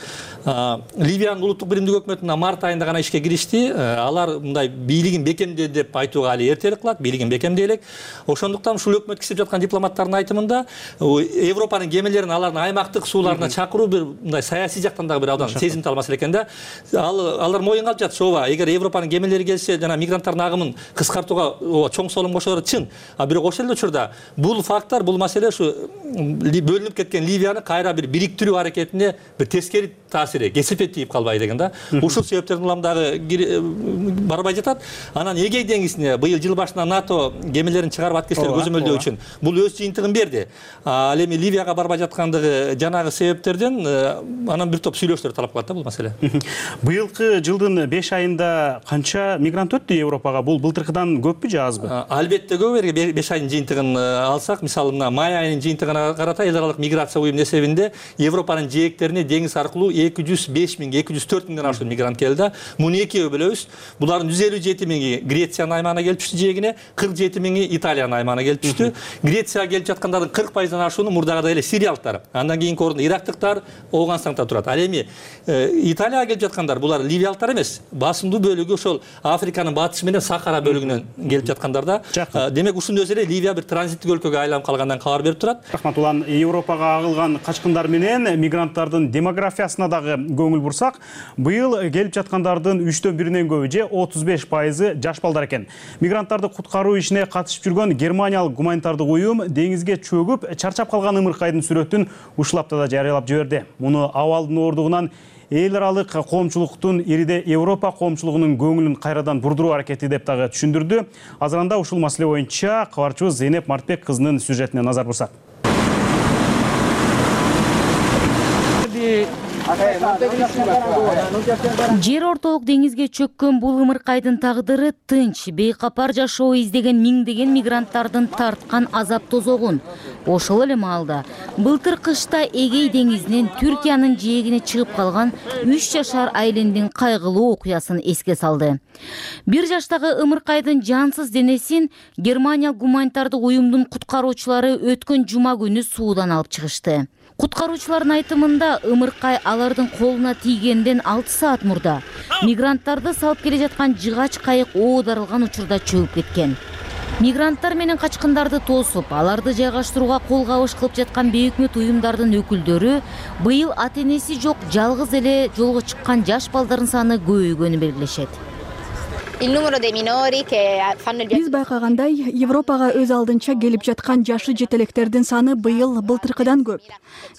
Ливиянын улуттук биримдик өкмөтүнө март айында гана ишке киришти. Алар мындай бийлигин бекемде деп айтууга али эртерээк кылат, бийлигин бекемдей элек. Ошондуктан ушул өкмөткө иштеп жаткан дипломаттардын айтымында Европанын кемелерин алардын аймактык сууларына чакыруу бир мындай саясий жактан дагы бир абдан сезимтал маселе экен да. Алар моюнга алып жатышат, ооба, эгер Европанын кемелери келсе, жана мигранттардын агымын кыскартууга чоң солон кошору чын. А бирок ошол эле учурда бул факттар, бул маселе ушу бөлүнүп кеткен Ливияны кайра бир бириктирүү аракетине бир тескери таасири кесипет тийип калбай деген да. Ушул себептерден улам дагы барбай жатат. Анан Эгей деңизине быйыл жыл башынан НАТО кемелерин чыгарып аткезчилерди көзөмөлдөө үчүн бул өз жыйынтыгын берди. Ал эми Ливияга барбай жаткандыгы жанагы себептерден анан бир топ сүйлөшүүлөр талап кылат да бул маселе. Быйылкы жылдын беш айында канча мигрант өттү Европага? Бул былтыркыдан көппү же азбы? Албетте көп. Эгер беш айдын жыйынтыгын алсак, мисалы мына май айынын жыйынтыгына карата эл аралык миграция уюмунун эсебинде Европанын жээктерине деңиз аркылуу эки жүз беш миң, эки жүз төрт миңден ашуун мигрант келди. Муну экиге бөлөбүз. Булардын жүз элүү жети миңи Грециянын аймагына келип түштү жээгине, кырк жети миңи Италиянын аймагына келип түштү. Грецияга келип жаткандардын кырк пайыздан ашууну мурдагыдай эле сириялыктар. Андан кийинки орунда ирактыктар, Ооганстанда турат. Ал эми Италияга келип жаткандар булар ливиялыктар эмес. Басымдуу бөлүгү ошол Африканын батышы менен Сахара бөлүгүнөн келип жаткандар да. Демек ушунун өзү эле Ливия бир транзиттик өлкөгө айланып калгандан кабар берип турат. Рахмат улан. Европага агылган качкындар менен мигранттардын демографиясына дагы көңүл бурсак, быйыл келип жаткандардын үчтөн биринен көбү же отуз беш пайызы жаш балдар экен. Мигранттарды куткаруу ишине катышып жүргөн германиялык гуманитардык уюм деңизге чөгүп чарчап калган ымыркайдын сүрөтүн ушул аптада жарыялап жиберди. Муну абалдын оордугунан эл аралык коомчулуктун ириде Европа коомчулугунун көңүлүн кайрадан бурдуруу аракети деп дагы түшүндүрдү. Азырында ушул маселе боюнча кабарчыбыз Зейнеп Мартбек кызынын сюжетине назар бурсак. Жер ортолук деңизге чөккөн бул ымыркайдын тагдыры тынч, бейкапар жашоо издеген миңдеген мигранттардын тарткан азап тозогун. Ошол эле маалда былтыр кышта Эгей деңизинен Түркиянын жээгине чыгып калган үч жашар айлендин кайгылуу окуясын эске салды. Бир жаштагы ымыркайдын жансыз денесин Германия гуманитардык уюмдун куткаруучулары өткөн жума күнү суудан алып чыгышты. Куткаруучулардын айтымында ымыркай алардын колуна тийгенден алты саат мурда мигранттарды салып келе жаткан жыгач кайык оодарылган учурда чөгүп кеткен. Мигранттар менен качкындарды тосуп, аларды жайгаштырууга кол кабыш кылып жаткан бейөкмөт уюмдардын өкүлдөрү быйыл ата-энеси жок жалгыз эле жолго чыккан жаш балдардын саны көбөйгөнүн белгилешет. Биз байкагандай, Европага өз алдынча келип жаткан жашы жетелектердин саны быйыл былтыркыдан көп.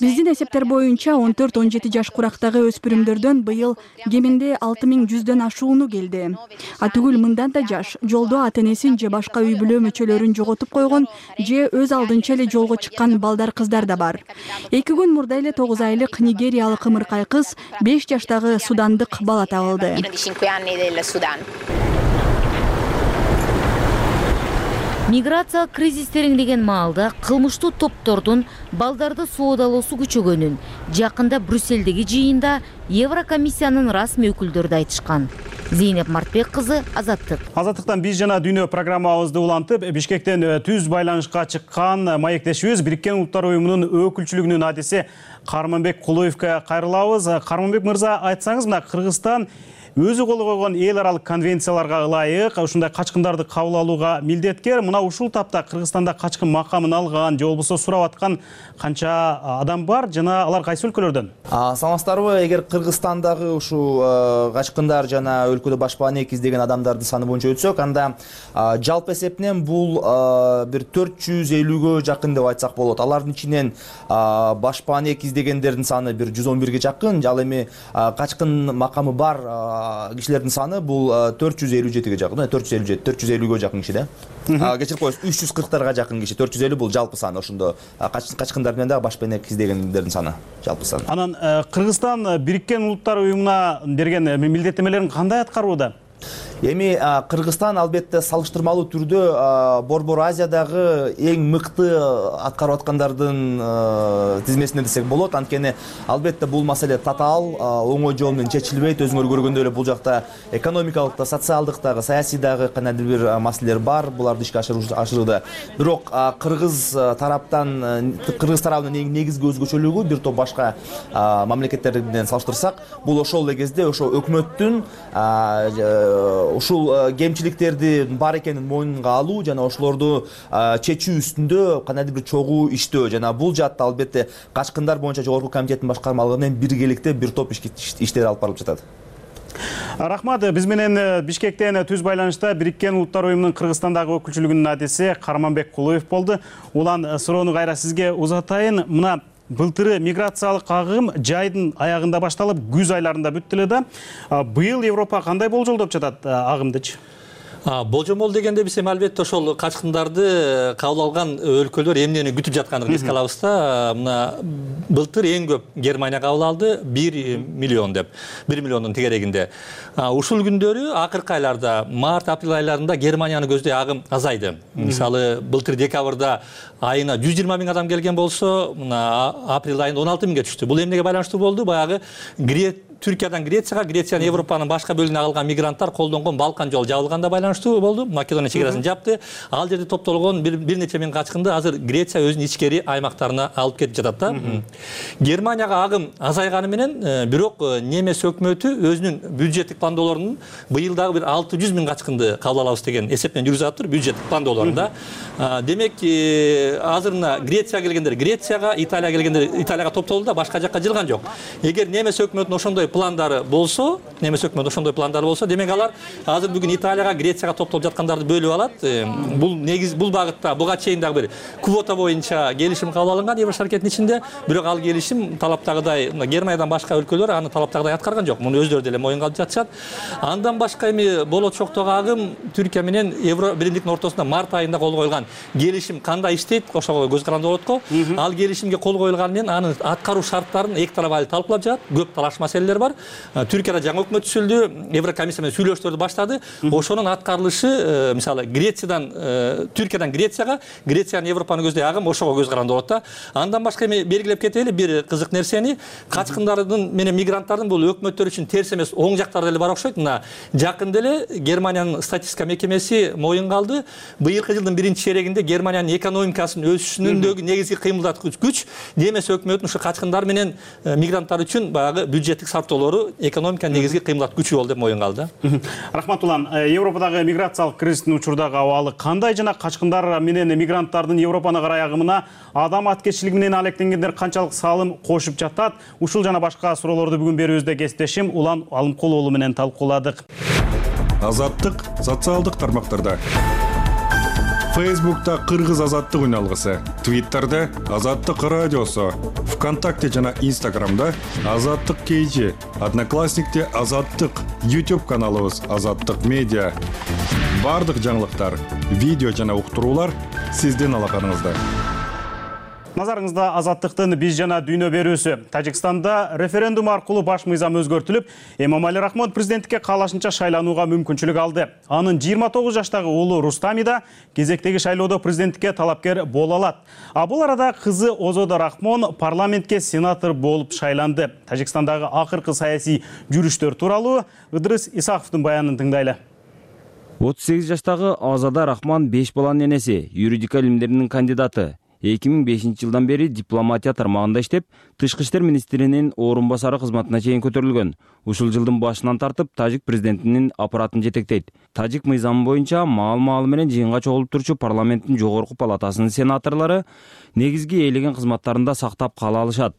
Биздин эсептер боюнча он төрт он жети жаш курактагы өспүрүмдөрдөн быйыл кеминде алты миң жүздөн ашууну келди. А түгүл мындан да жаш жолдо ата-энесин же башка үй бүлө мүчөлөрүн жоготуп койгон же өз алдынча эле жолго чыккан балдар кыздар да бар. Эки күн мурда эле тогуз айлык нигериялык ымыркай кыз беш жаштагы судандык бала табылды. Миграция кризис тереңдеген маалда кылмыштуу топтордун балдарды соодалоосу күчөгөнүн жакында Брюссельдеги жыйында Еврокомиссиянын расмий өкүлдөрү айтышкан. Зейнеп Мартбек кызы, Азаттык. Азаттыктан биз жана дүйнө программабызды улантып, Бишкектен түз байланышка чыккан маектешибиз Бириккен Улуттар уюмунун өкүлчүлүгүнүн адиси Карманбек Кулуевке кайрылабыз. Карманбек мырза, айтсаңыз, мына Кыргызстан өзү кол койгон эл аралык конвенцияларга ылайык ушундай качкындарды кабыл алууга милдеткер. Мына ушул тапта Кыргызстанда качкын макамын алган же болбосо сурап аткан канча адам бар жана алар кайсы өлкөлөрдөн? Саламатсыздарбы? Эгер Кыргызстандагы ушул качкындар жана өлкөдө башпаанек издеген адамдардын саны боюнча өтсөк, анда жалпы эсепинен бул бир төрт жүз элүүгө жакын деп айтсак болот. Алардын ичинен башпаанек издегендердин саны бир жүз он бирге жакын, ал эми качкын макамы бар кишилердин саны бул төрт жүз элүү жетиге жакын, төрт жүз элүү жети, төрт жүз элүүгө жакын киши да. Кечирип коесуз, үч жүз кырктарга жакын киши. төрт жүз элүү бул жалпы саны, ошондо качкындар менен дагы баш бенек издегендердин саны, жалпы саны. Анан Кыргызстан Бириккен Улуттар уюмуна берген милдеттенмелерин кандай аткарууда? Эми Кыргызстан албетте салыштырмалуу түрдө Борбор Азиядагы эң мыкты аткарып аткандардын тизмесинде десек болот. Анткени албетте бул маселе татаал, оңой жол менен чечилбейт. Өзүңөр көргөндөй эле бул жакта экономикалык да, социалдык дагы, саясий дагы кандайдыр бир маселелер бар. Буларды ишке ашырууда. Бирок Кыргыз тараптан, Кыргыз тарабынын негизги өзгөчөлүгү бир топ башка мамлекеттер менен салыштырсак, бул ошол эле кезде ошо өкмөттүн ушул кемчиликтерди бар экенин мойнунга алуу жана ошолорду чечүү үстүндө кандайдыр бир чогуу иштөө жана бул жаатта албетте качкындар боюнча жогорку комитеттин башкармалыгы менен биргеликте бир топ иштер алып барылып жатат. Рахмат. Биз менен Бишкектен түз байланышта Бириккен Улуттар уюмунун Кыргызстандагы өкүлчүлүгүнүн адиси Карманбек Кулуев болду. Улан суроону кайра сизге узатайын. Мына былтыры миграциялык агым жайдын аягында башталып, күз айларында бүттү эле да. Быйыл Европа кандай болжолдоп жатат агымдычы? Болжомол дегенде биз эми албетте ошол качкындарды кабыл алган өлкөлөр эмнени күтүп жаткандыгын эске алабыз да. Мына былтыр эң көп Германия кабыл алды, бир миллион деп, бир миллиондун тегерегинде. Ушул күндөрү акыркы айларда, март, апрель айларында Германияны көздөй агым азайды. Мисалы, былтыр декабрда айына жүз жыйырма миң адам келген болсо, мына апрель айында он алты миңге түштү. Бул эмнеге байланыштуу болду? Баягы Түркиядан Грецияга, Грециядан Европанын башка бөлүгүнө агылган мигранттар колдонгон Балкан жолу жабылганда байланыштуу болду. Македония чекарасын жапты. Ал жерде топтолгон бир нече миң качкынды азыр Греция өзүнүн ичкери аймактарына алып кетип жатат да. Германияга агым азайганы менен, бирок немес өкмөтү өзүнүн бюджеттик пландоолорунун быйыл дагы бир алты жүз миң качкынды кабыл алабыз деген эсеп менен жүргүзүп атыптыр бюджеттик пландоолорунда. Демек, азыр мына Грецияга келгендер Грецияга, Италияга келгендер Италияга топтолду да, башка жакка жылган жок. Эгер немес өкмөтүнүн ошондой пландары болсо, немес өкмөт ошондой пландары болсо, демек алар азыр бүгүн Италияга, Грецияга топтолуп жаткандарды бөлүп алат. Бул негиз бул багытта буга чейин дагы бир квота боюнча келишим кабыл алынган Евро шаркеттин ичинде, бирок ал келишим талаптагыдай Германиядан башка өлкөлөр аны талаптагыдай аткарган жок. Муну өздөрү деле моюнга алып жатышат. Андан башка эми болочоктогу агым Түркия менен Евро биримдиктин ортосунда март айында кол коюлган келишим кандай иштейт, ошого көз каранды болот го. Ал келишимге кол коюлганы менен анын аткаруу шарттарын эки тарап али талкуулап жатат. Көп талаш маселелер бар. Түркияда жаңы өкмөт түзүлдү, Еврокомиссия менен сүйлөшүүлөрдү баштады. Ошонун аткарылышы, мисалы Грециядан Түркиядан Грецияга, Грециядан Европаны көздөй агым ошого көз каранды болот да. Андан башка эми белгилеп кетели бир кызык нерсени, качкындардын менен мигранттардын бул өкмөттөр үчүн терс эмес, оң жактары деле бар окшойт. Мына жакында эле Германиянын статистика мекемеси моюнга алды. Быйылкы жылдын биринчи чейрегинде Германиянын экономикасынын өсүшүнүндөгү негизги кыймылдаткыч күч немес өкмөтүнүн ушу качкындар менен мигранттар үчүн баягы бюджеттик сарптоолору экономиканын негизги кыймылдаткыч күчү болду деп моюнга алды. Рахмат улан. Европадагы миграциялык кризистин учурдагы абалы кандай жана качкындар менен мигранттардын Европаны карай агымына адам аткечилиги менен алектенгендер канчалык салым кошуп жатат? Ушул жана башка суроолорду бүгүн берүүбүздө кесиптешим Улан Алымкул уулу менен талкууладык. Азаттык социалдык тармактарда. Фейсбукта Кыргыз азаттык үналгысы, Твиттерде Азаттык радиосу, ВКонтакте жана Инстаграмда Азаттык кейжи, Одноклассникте Азаттык, YouTube каналыбыз Азаттык медиа. Бардык жаңылыктар, видео жана уктуруулар сиздин алаканыңызда. Назарыңызда Азаттыктын биз жана дүйнө берүүсү. Тажикстанда референдум аркылуу баш мыйзам өзгөртүлүп, Эмомали Рахмон президенттикке каалашынча шайланууга мүмкүнчүлүк алды. Анын жыйырма тогуз жаштагы уулу Рустами да кезектеги шайлоодо президенттикке талапкер боло алат. А бул арада кызы Озодо Рахмон парламентке сенатор болуп шайланды. Тажикстандагы акыркы саясий жүрүштөр тууралуу Ыдрыс Исаковдун баянын тыңдайлы. отуз сегиз жаштагы Озодо Рахмон беш баланын энеси, юридика илимдеринин кандидаты. эки миң бешинчи жылдан бери дипломатия тармагында иштеп, тышкы иштер министринин орун басары кызматына чейин көтөрүлгөн. Ушул жылдын башынан тартып тажик президентинин аппаратын жетектейт. Тажик мыйзамы боюнча маал-маалы менен жыйынга чогулуп турчу парламенттин жогорку палатасынын сенаторлору негизги ээлеген кызматтарында сактап кала алышат.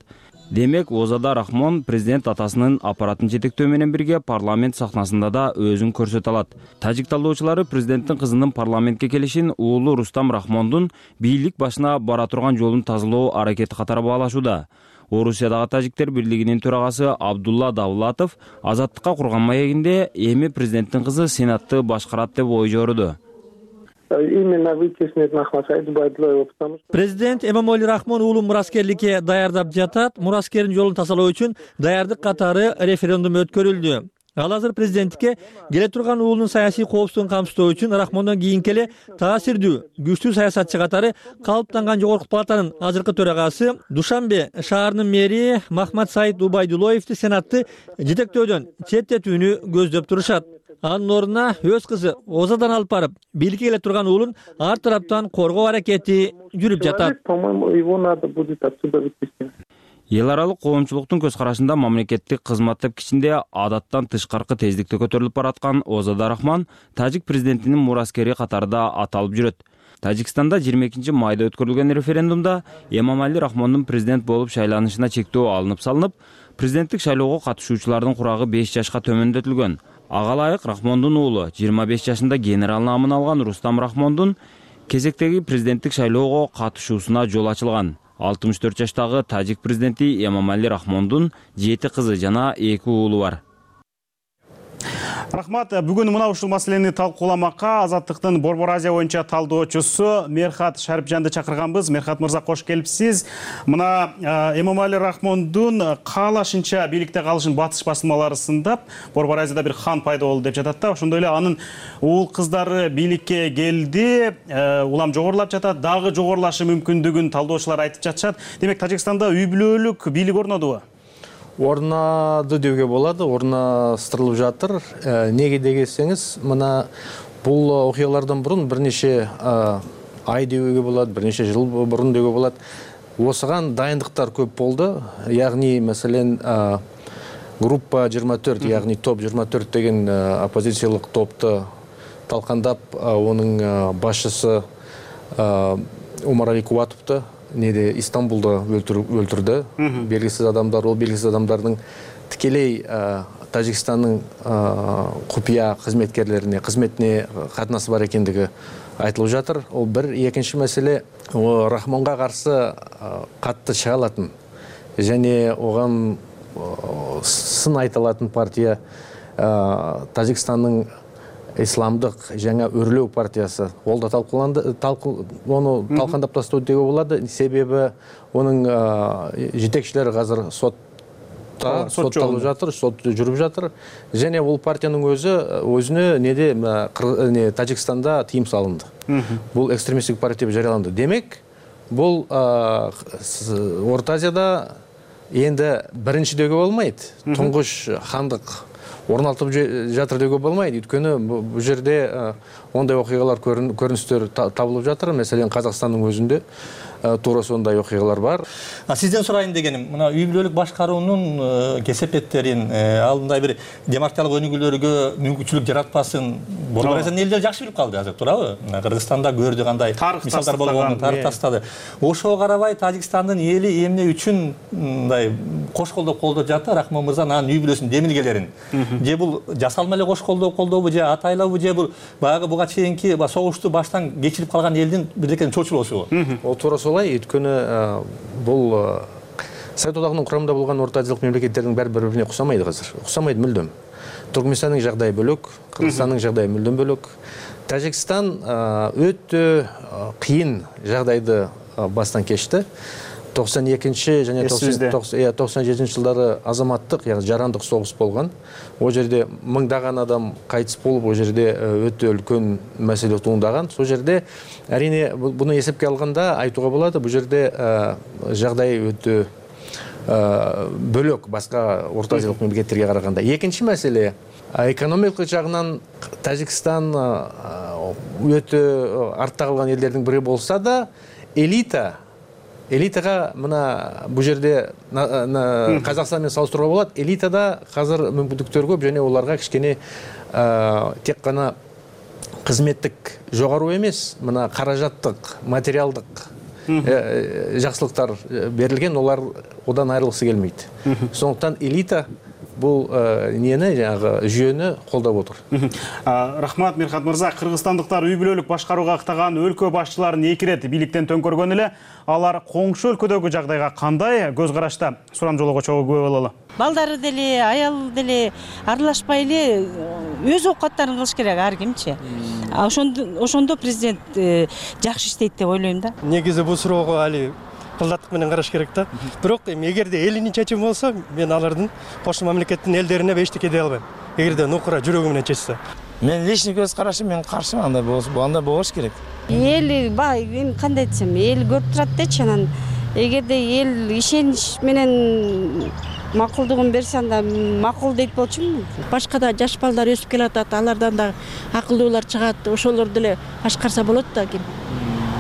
Демек, Озодо Рахмон президент атасынын аппаратын жетектөө менен бирге парламент сахнасында да өзүн көрсөтө алат. Тажик талоочулары президенттин кызынын парламентке келишин уулу Рустам Рахмондун бийлик башына бара турган жолун тазалоо аракети катары баалашууда. Орусиядагы тажиктер бирлигинин төрагасы Абдулла Давлатов Азаттыкка курган маегинде эми президенттин кызы Сенатты башкарат деп ой жоруду. Президент Эмомали Рахмон уулу мураскерликке даярдап жатат. Мураскердин жолун тазалоо үчүн даярдык катары референдум өткөрүлдү. Ал азыр президенттикке келе турган уулунун саясий коопсуздугун камсыздоо үчүн Рахмондон кийинки эле таасирдүү, күчтүү саясатчы катары калыптанган жогорку палатанын азыркы төрагасы Душанбе шаарынын мэри Махмат Саид Убайдулоевди Сенатты жетектөөдөн четтетүүнү көздөп турушат. Анын ордуна өз кызы Озадан алып барып, бийликке келе турган уулун ар тараптан коргоо аракети жүрүп жатат. Эл аралык коомчулуктун көз карашында мамлекеттик кызмат тепкичинде адаттан тышкаркы тездикте көтөрүлүп бараткан Озада Рахман тажик президентинин мураскери катарында аталып жүрөт. Тажикстанда жыйырма экинчи майда өткөрүлгөн референдумда Эмомали Рахмондун президент болуп шайланышына чектөө алынып салынып, президенттик шайлоого катышуучулардын курагы беш жашка төмөндөтүлгөн. Ага ылайык Рахмондун уулу жыйырма беш жашында генерал наамын алган Рустам Рахмондун кезектеги президенттик шайлоого катышуусуна жол ачылган. алтымыш төрт жаштагы тажик президенти Эмомали Рахмондун жети кызы жана эки уулу бар. Рахмат, бүгүн мына ушул маселени талкууламакка Азаттыктын Борбор Азия боюнча талдоочусу Мерхат Шарипжанды чакырганбыз. Мерхат мырза, кош келипсиз. Мына Эмомали Рахмондун каалашынча бийликте калышын батыш басылмалары сындап, Борбор Азияда бир хан пайда болду деп жатат да. Ошондой эле анын уул кыздары бийликке келди, улам жогорулап жатат, дагы жогорулашы мүмкүндүгүн талдоочулар айтып жатышат. Демек, Тажикстанда үй бүлөлүк бийлик орнодубу? Орнады деуге болады, орнастырылып жатыр. Неге дегенсеңиз, мына бул окуялардан бурун бир нече ай деуге болот, бир нече жыл бурун деуге болот. Осыган дайындыктар көп болду. Ягни, маселен, группа жыйырма төрт, ягни топ жыйырма төрт деген оппозициялык топту талкандап, онун башчысы Умарали Кубатовду неде Истанбулда өлтүрдү. Белгисиз адамдар, ол белгисиз адамдардын тикелей Тажикстандын купуя кызметкерлерине, кызметине катнасы бар экендиги айтылып жатыр. Ол бир. Экинчи маселе, Рахмонго каршы катты чыга алатын және оган сын айта алатын партия Тажикстандын исламдык жаңа өрлөө партиясы. Ол да талкууланды, ону талкандап тастоо деуге болот. Себеби онун жетекчилери азыр сотта, сотталып жатыр, сот жүрүп жатыр. Және бул партиянын өзү өзүнө неде Тажикстанда тыйым салынды. Бул экстремисттик партия деп жарыяланды. Демек, бул Орто Азияда энди биринчи деуге болмойт. Туңгуш хандык орналтып жатыр деуге болмайды. Өйткөнү бул жерде ондай окуялар, көрүнүштөр табылып жатыр. Маселен, Казакстандын өзүндө туура сондай окуялар бар. Сизден сурайын дегеним, мына үй бүлөлүк башкаруунун кесепеттерин, алдындай бир демократиялык өнүгүүлөргө мүмкүнчүлүк жаратпасын Борбор Азиянын элдери жакшы билип калды азыр, туурабы? Кыргызстанда көрдү кандай мисалдар болгонун тарып тастады. Ошого карабай Тажикстандын эли эмне үчүн мындай кош колдоп колдоп жатты Рахмон мырза анын үй бүлөсүнүн демилгелерин? Же бул жасалма эле кош колдоп колдообу, же атайлабы, же бул баягы буга чейинки согушту баштан кечирип калган элдин бирдекени чочулоосубу? Ол туура солай. Өйткөнү бул Совет одагынын курамында болгон Орто Азиялык мамлекеттердин баары бири-бирине уксамайды азыр. Уксамайды мүлдөм. Туркменстандын жагдайы бөлөк, Кыргызстандын жагдайы мүлдөм бөлөк. Тажикстан өтө кыйын жагдайды бастан кечти. токсон экинчи жана токсон жетинчи жылдары азаматтык, яғни жарандык согуш болгон. О жерде мыңдаган адам кайтыс болуп, о жерде өтө үлкөн маселе туындаган. Сол жерде әрине буну эсепке алганда айтууга болот, бул жерде жагдай өтө бөлөк башка Орто Азиялык мамлекеттерге караганда. Экинчи маселе, экономикалык жагынан Тажикстан өтө артта калган элдердин бири болса да, элита Элитага мына бул жерде Казакстан менен салыштырууга болот. Элитада азыр мүмкүндүктөр көп және оларга кичкене тек гана кызметтик жогору эмес, мына каражаттык, материалдык жакшылыктар берилген, олар одан айрылгысы келмейт. Сондуктан элита бул эмнени жанагы жүйөнү колдоп отур. Рахмат Мирхат мырза. Кыргызстандыктар үй бүлөлүк башкарууга ыктаган өлкө башчыларын эки ирет бийликтен төңкөргөн эле. Алар коңшу өлкөдөгү жагдайга кандай көз карашта? Сурам жолого чогуу күбө бололу. Балдары деле, аял деле аралашпай эле өз оокаттарын кылыш керек ар кимчи. Ошондо ошондо президент жакшы иштейт деп ойлойм да. Негизи бул суроого али кылдаттык менен караш керек да. Бирок эгерде элинин чечими болсо, мен алардын кошмо мамлекеттин элдерине эчтеке дей албайм. Эгерде нукура жүрөгү менен чечсе. Мен личный көз карашым, мен каршымын, андай болсо, андай болуш керек. Эл бай, кандай десем, эл көрүп турат дечи, анан эгерде эл ишенич менен макулдугун берсе, анда макул дейт болчумун. Башка да жаш балдар өсүп келатат, алардан да акылдуулар чыгат, ошолор деле башкарса болот да ким.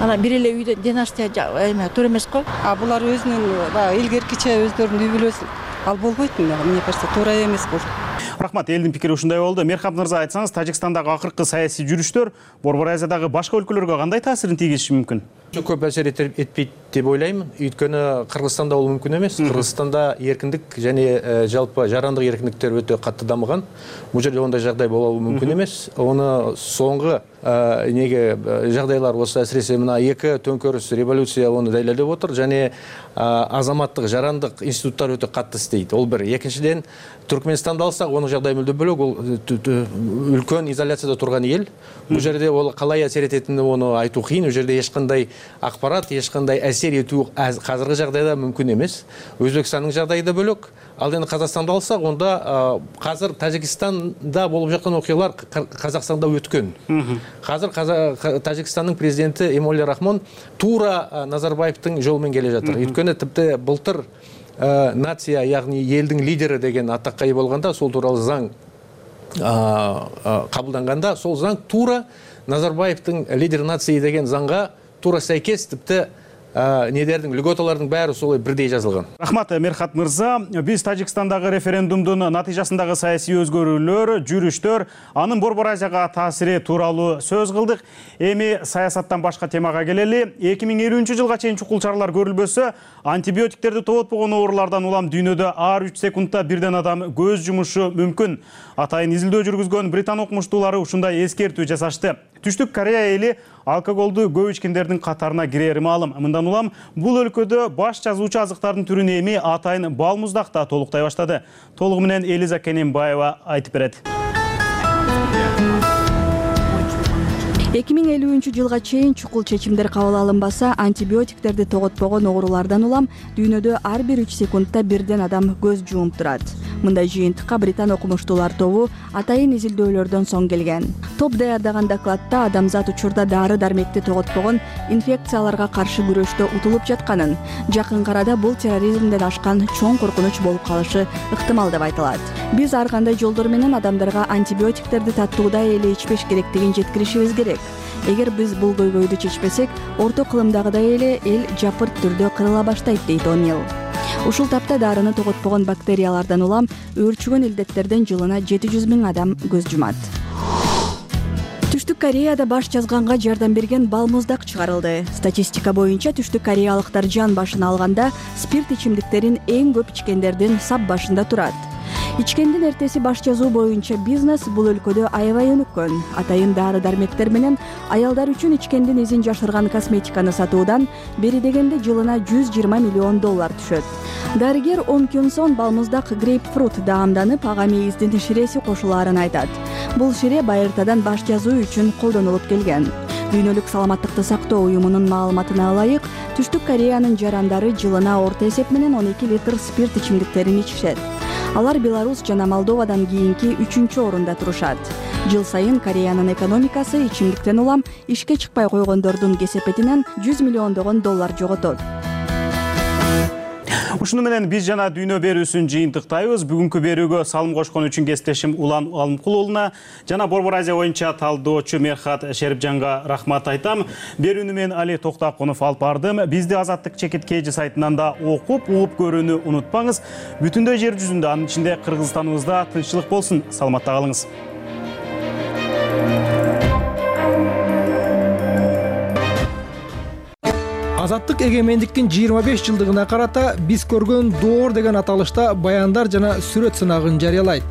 Ана бир эле үйдө династия эме туура эмес го. А булар өзүнүн баягы илгеркиче өздөрүнүн үй бүлөсү ал болбойт, мне кажется, туура эмес бул. Рахмат, элдин пикири ушундай болду. Мерхат мырза, айтсаңыз, Тажикстандагы акыркы саясий жүрүштөр Борбор Азиядагы башка өлкөлөргө кандай таасирин тийгизиши мүмкүн? Көп әсер этпейт деп ойлаймын. Өйткөнү Кыргызстанда ол мүмкүн эмес. Кыргызстанда эркиндик және жалпы жарандык эркиндиктер өтө катты дамыган. Бул жерде ондай жагдай болобу мүмкүн эмес. Оны соңғы неге жагдайлар болсо, әсіресе мына эки төңкөрүс революция оны дәлелдеп отыр, және азаматтык жарандык институттар өтө катты иштейт. Ол бир. Экинчиден, Түркменистанды алсак, онун жагдайы мүлдө бөлөк. Ол үлкөн изоляцияда турган эл. Бул жерде ол калай әсер этетини оны айтуу кыйын. Бул жерде эч кандай акпарат, эч кандай әсер этүү азыркы жагдайда мүмкүн эмес. Өзбекстандын жагдайы да бөлөк. Ал эми Казакстанды алсак, онда казыр Тажикстанда болуп жаткан окуялар Казакстанда өткөн. Казыр Тажикстандын президенти Эмомали Рахмон туура Назарбаевдин жолу менен келе жатыр. Өйткөнү типти былтыр нация, ягни элдин лидери деген атакка ээ болгондо, сол тууралуу заң кабылданганда, сол заң туура Назарбаевдин лидер нации деген заңга туура сайкес, типти недердин льготалардын баары солой бирдей жазылган. Рахмат Мерхат мырза, биз Тажикстандагы референдумдун натыйжасындагы саясий өзгөрүүлөр, жүрүштөр, анын Борбор Азияга таасири тууралуу сөз кылдык. Эми саясаттан башка темага келели. эки миң элүүнчү жылга чейин чукул чаралар көрүлбөсө, антибиотиктерди тоотпогон оорулардан улам дүйнөдө ар үч секундта бирден адам көз жумушу мүмкүн. Атайын изилдөө жүргүзгөн Британ окумуштуулары ушундай эскертүү жасашты. Түштүк Корея эли алкоголду көп ичкендердин катарына кирери маалым. Мындан улам бул өлкөдө баш жазуучу азыктардын түрүн эми атайын балмуздак да толуктай баштады. Толугу менен Элиза Кененбаева айтып берет. эки миң элүүнчү жылга чейин чукул чечимдер кабыл алынбаса, антибиотиктерди тоготпогон оорулардан улам дүйнөдө ар бир үч секундта бирден адам көз жумуп турат. Мындай жыйынтыкка Британ окумуштуулар тобу атайын изилдөөлөрдөн соң келген. Топ даярдаган докладта адамзат учурда дары дармекти тоготпогон инфекцияларга каршы күрөштө утулуп жатканын, жакын арада бул терроризмден ашкан чоң коркунуч болуп калышы ыктымал деп айтылат. Биз ар кандай жолдор менен адамдарга антибиотиктерди таттуудай эле ичпеш керектигин жеткиришибиз керек. Эгер биз бул көйгөйдү чечпесек, орто кылымдагыдай эле эл жапырт түрдө кырыла баштайт, дейт О'Нил. Ушул тапта дарыны тоготпогон бактериялардан улам өөрчүгөн илдеттерден жылына жети жүз миң адам көз жумат. Түштүк Кореяда баш жазганга жардам берген балмуздак чыгарылды. Статистика боюнча Түштүк Кореялыктар жан башына алганда спирт ичимдиктерин эң көп ичкендердин сап башында турат. Ичкендин эртеси баш жазуу боюнча бизнес бул өлкөдө аябай өнүккөн. Атайын дары дармектер менен аялдар үчүн ичкендин изин жашырган косметиканы сатуудан бери дегенде жылына жүз жыйырма миллион доллар түшөт. Дарыгер Ом Кюн Сон балмуздак грейпфрут даамданып, ага мейиздин ширеси кошулаарын айтат. Бул шире байыртадан баш жазуу үчүн колдонулуп келген. Дүйнөлүк саламаттыкты сактоо уюмунун маалыматына ылайык, Түштүк Кореянын жарандары жылына орто эсеп менен он эки литр спирт ичимдиктерин ичишет. Алар Беларусь жана Молдовадан кийинки үчүнчү орунда турушат. Жыл сайын Кореянын экономикасы ичимдиктен улам ишке чыкпай койгондордун кесепетинен жүз миллиондогон доллар жоготот. Ушуну менен биз жана дүйнө берүүсүн жыйынтыктайбыз. Бүгүнкү берүүгө салым кошкон үчүн кесиптешим Улан Алымкулуулуна жана Борбор Азия боюнча талдоочу Мерхат Шерипжанга рахмат айтам. Берүүнү мен Али Токтакунов алып бардым. Бизди Азаттык чекит кей жи сайтынан да окуп, угуп көрүүнү унутпаңыз. Бүтүндөй жер жүзүндө, анын ичинде Кыргызстаныбызда тынччылык болсун. Саламатта калыңыз. Азаттык эгемендиктин жыйырма беш жылдыгына карата биз көргөн доор деген аталышта баяндар жана сүрөт сынагын жарыялайт.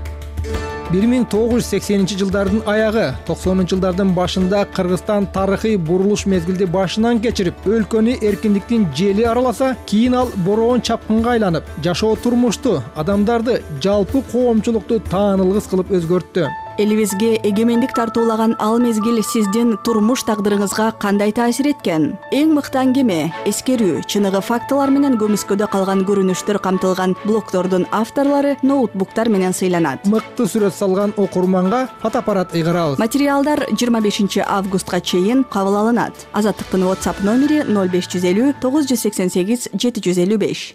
бир миң тогуз жүз сексенинчи жылдардын аягы, токсонунчу жылдардын башында Кыргызстан тарыхый бурулуш мезгилди башынан кечирип, өлкөнү эркиндиктин жели араласа, кийин ал бороон чапкынга айланып, жашоо турмушту, адамдарды, жалпы коомчулукту таанылгыс кылып өзгөрттү. Элибизге эгемендик тартуулаган ал мезгил сиздин турмуш тагдырыңызга кандай таасир эткен? Эң мыкты аңгеме, эскерүү, чыныгы фактылар менен көмүскөдө калган көрүнүштөр камтылган блогдордун авторлору ноутбуктар менен сыйланат. Мыкты сүрөт салган окурманга фотоаппарат ыйгарабыз. Материалдар жыйырма бешинчи августка чейин кабыл алынат. Азаттыктын WhatsApp номери ноль беш жүз элүү тогуз жүз сексен сегиз жети жүз элүү беш.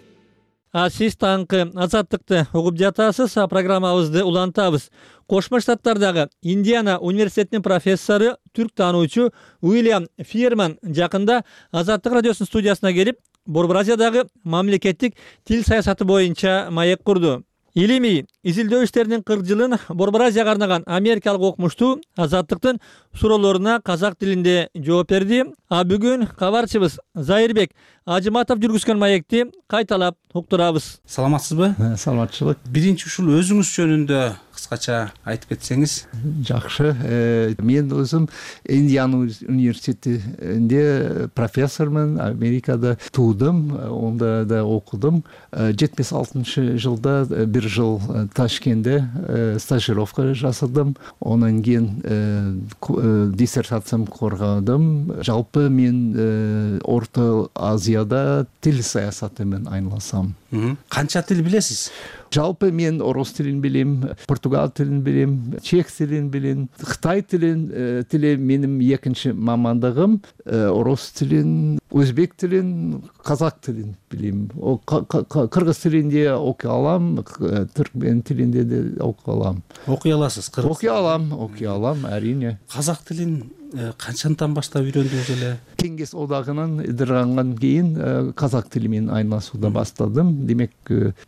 А сиз таңкы Азаттыкты угуп жатасыз, программабызды улантабыз. Кошмо Штаттардагы Индиана университетинин профессору, түрк таануучу Уильям Фирман жакында Азаттык радиосунун студиясына келип, Борбор Азиядагы мамлекеттик тил саясаты боюнча маек курду. Илимий изилдөө иштеринин кырк жылын Борбор Азияга арнаган америкалык окумуштуу Азаттыктын суроолоруна казак тилинде жооп берди. А бүгүн кабарчыбыз Зайырбек Ажыматов жүргүзгөн маекти кайталап уктурабыз. Саламатсызбы? Саламатчылык. Биринчи ушул өзүңүз жөнүндө кыскача айтып кетсеңиз. Жакшы. Мен өзүм Индиана университетинде профессормун, Америкада туудум, онда да окудум. жетимиш алтынчы жылда бир жыл Ташкентте стажировка жасадым. Онан кийин диссертациям коргодум. Жалпы мен Орто Азияда тил саясаты менен айналасам. Канча тил билесиз? Жалпы мен орус тилин билем, португал тилин билем, чех тилин билем, кытай тилин тили менин экинчи мамандыгым, орус тилин, өзбек тилин, казак тилин билем. Кыргыз тилинде окуй алам, түркмен тилинде де окуй алам. Окуй аласыз? Окуй алам, окуй алам, әрине. Казак тилин канчадан баштап үйрөндүңүз эле? Кеңес одагынан ыдыргандан кийин казак тили менен айналышууга баштадым. Демек,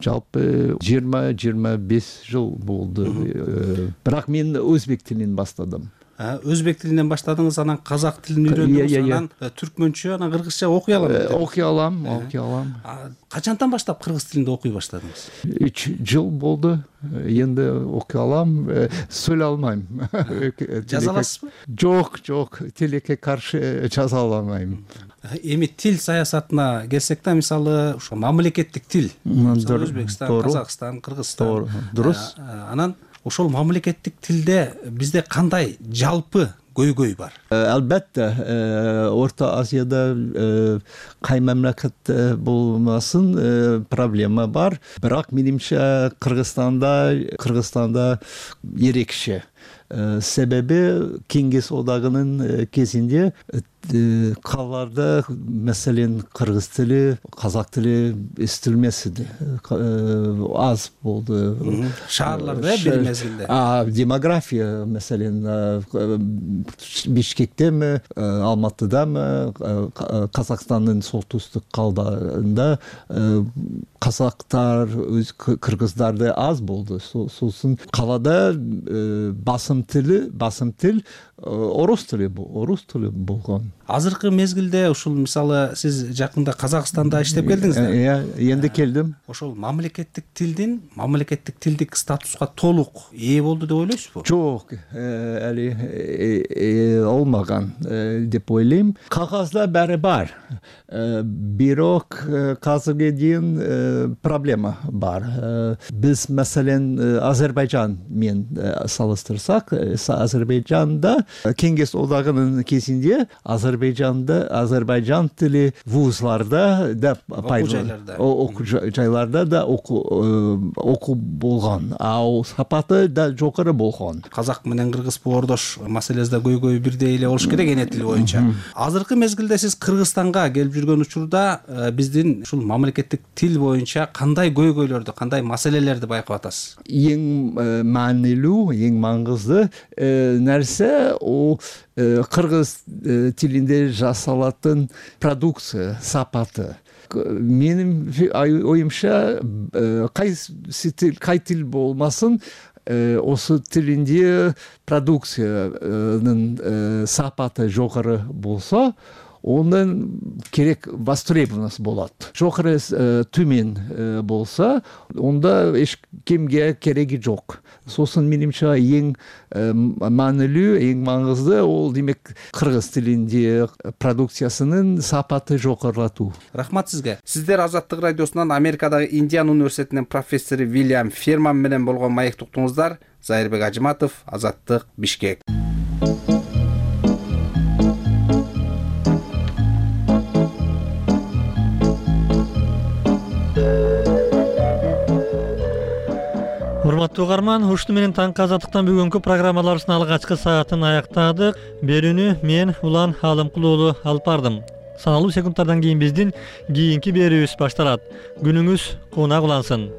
жалпы жыйырма жыйырма беш жыл болду. Бирок мен өзбек тилинен баштадым. Өзбек тилинен баштадыңыз, анан казак тилин үйрөндүңүз, анан түркмөнчө, анан кыргызча окуй алам. Окуй алам, окуй алам. Качандан баштап кыргыз тилинде окуй баштадыңыз? үч жыл болду. Энди окуй алам, сүйлөй албайм. Жаза аласызбы? Жок, жок, тилекке каршы жаза албайм. Эми тил саясатына келсек да, мисалы, ушу мамлекеттик тил, Өзбекстан, Казакстан, Кыргызстан. Дурус. Анан ошол мамлекеттик тилде бизде кандай жалпы көйгөй бар? Албетте, Орто Азияда кай мамлекет болмасын проблема бар. Бирок менимче Кыргызстанда, Кыргызстанда ерекше. Себеби Кеңес одагынын кезинде калаларда маселен кыргыз тили, казак тили эстилмес иди. Аз болду. Шаарларда бир мезгилде. Демография маселен Бишкектеби, Алматыдамы, Казакстандын солтүстүк калдарында казактар, кыргыздарды аз болду. Сосын калада басым тили, басым тил орус тили, орус тили болгон. Азыркы мезгилде ушул мисалы сиз жакында Казакстанда иштеп келдиңиз да? Иә, энди келдим. Ошол мамлекеттик тилдин, мамлекеттик тилдик статуска толук ээ болду деп ойлойсузбу? Жок, эли олмаган деп ойлойм. Кагазда баары бар. Бирок азыркы чейин проблема бар. Биз маселен Азербайжан менен салыштырсак, Азербайжанда Кеңес одагынын кезинде Азербайжанда Азербайжан тили вузларда да окуу жайларда да окуу болгон, а сапаты да жокору болгон. Казак менен кыргыз боордош маселесинде көйгөй бирдей эле болуш керек эне тил боюнча. Азыркы мезгилде сиз Кыргызстанга келип жүргөн учурда биздин ушул мамлекеттик тил боюнча кандай көйгөйлөрдү, кандай маселелерди байкап атасыз? Эң маанилүү, эң маңызды нерсе о кыргыз тилинде жасалатын продукция сапаты. Менин оюмча кайсы тил, кай тил болмасын, осы тилинде продукциянын сапаты жогору болсо, ондан керек востребованность болот. Жокору төмен болса, онда эч кимге кереги жок. Сосын менимче эң маанилүү, эң маңызды ол демек кыргыз тилинде продукциясынын сапаты жогорулатуу. Рахмат сизге. Сиздер Азаттык радиосунан Америкадагы Индиан университетинин профессору Вильям Ферман менен болгон маек уктуңуздар. Зайырбек Ажыматов, Азаттык, Бишкек. Урматтуу угарман, ушуну менен таңкы Азаттыктан бүгүнкү программаларыбыздын алгачкы саатын аяктадык. Берүүнү мен Улан Алымкул уулу алып бардым. Саналуу секундтардан кийин биздин кийинки берүүбүз башталат. Күнүңүз кунак улансын.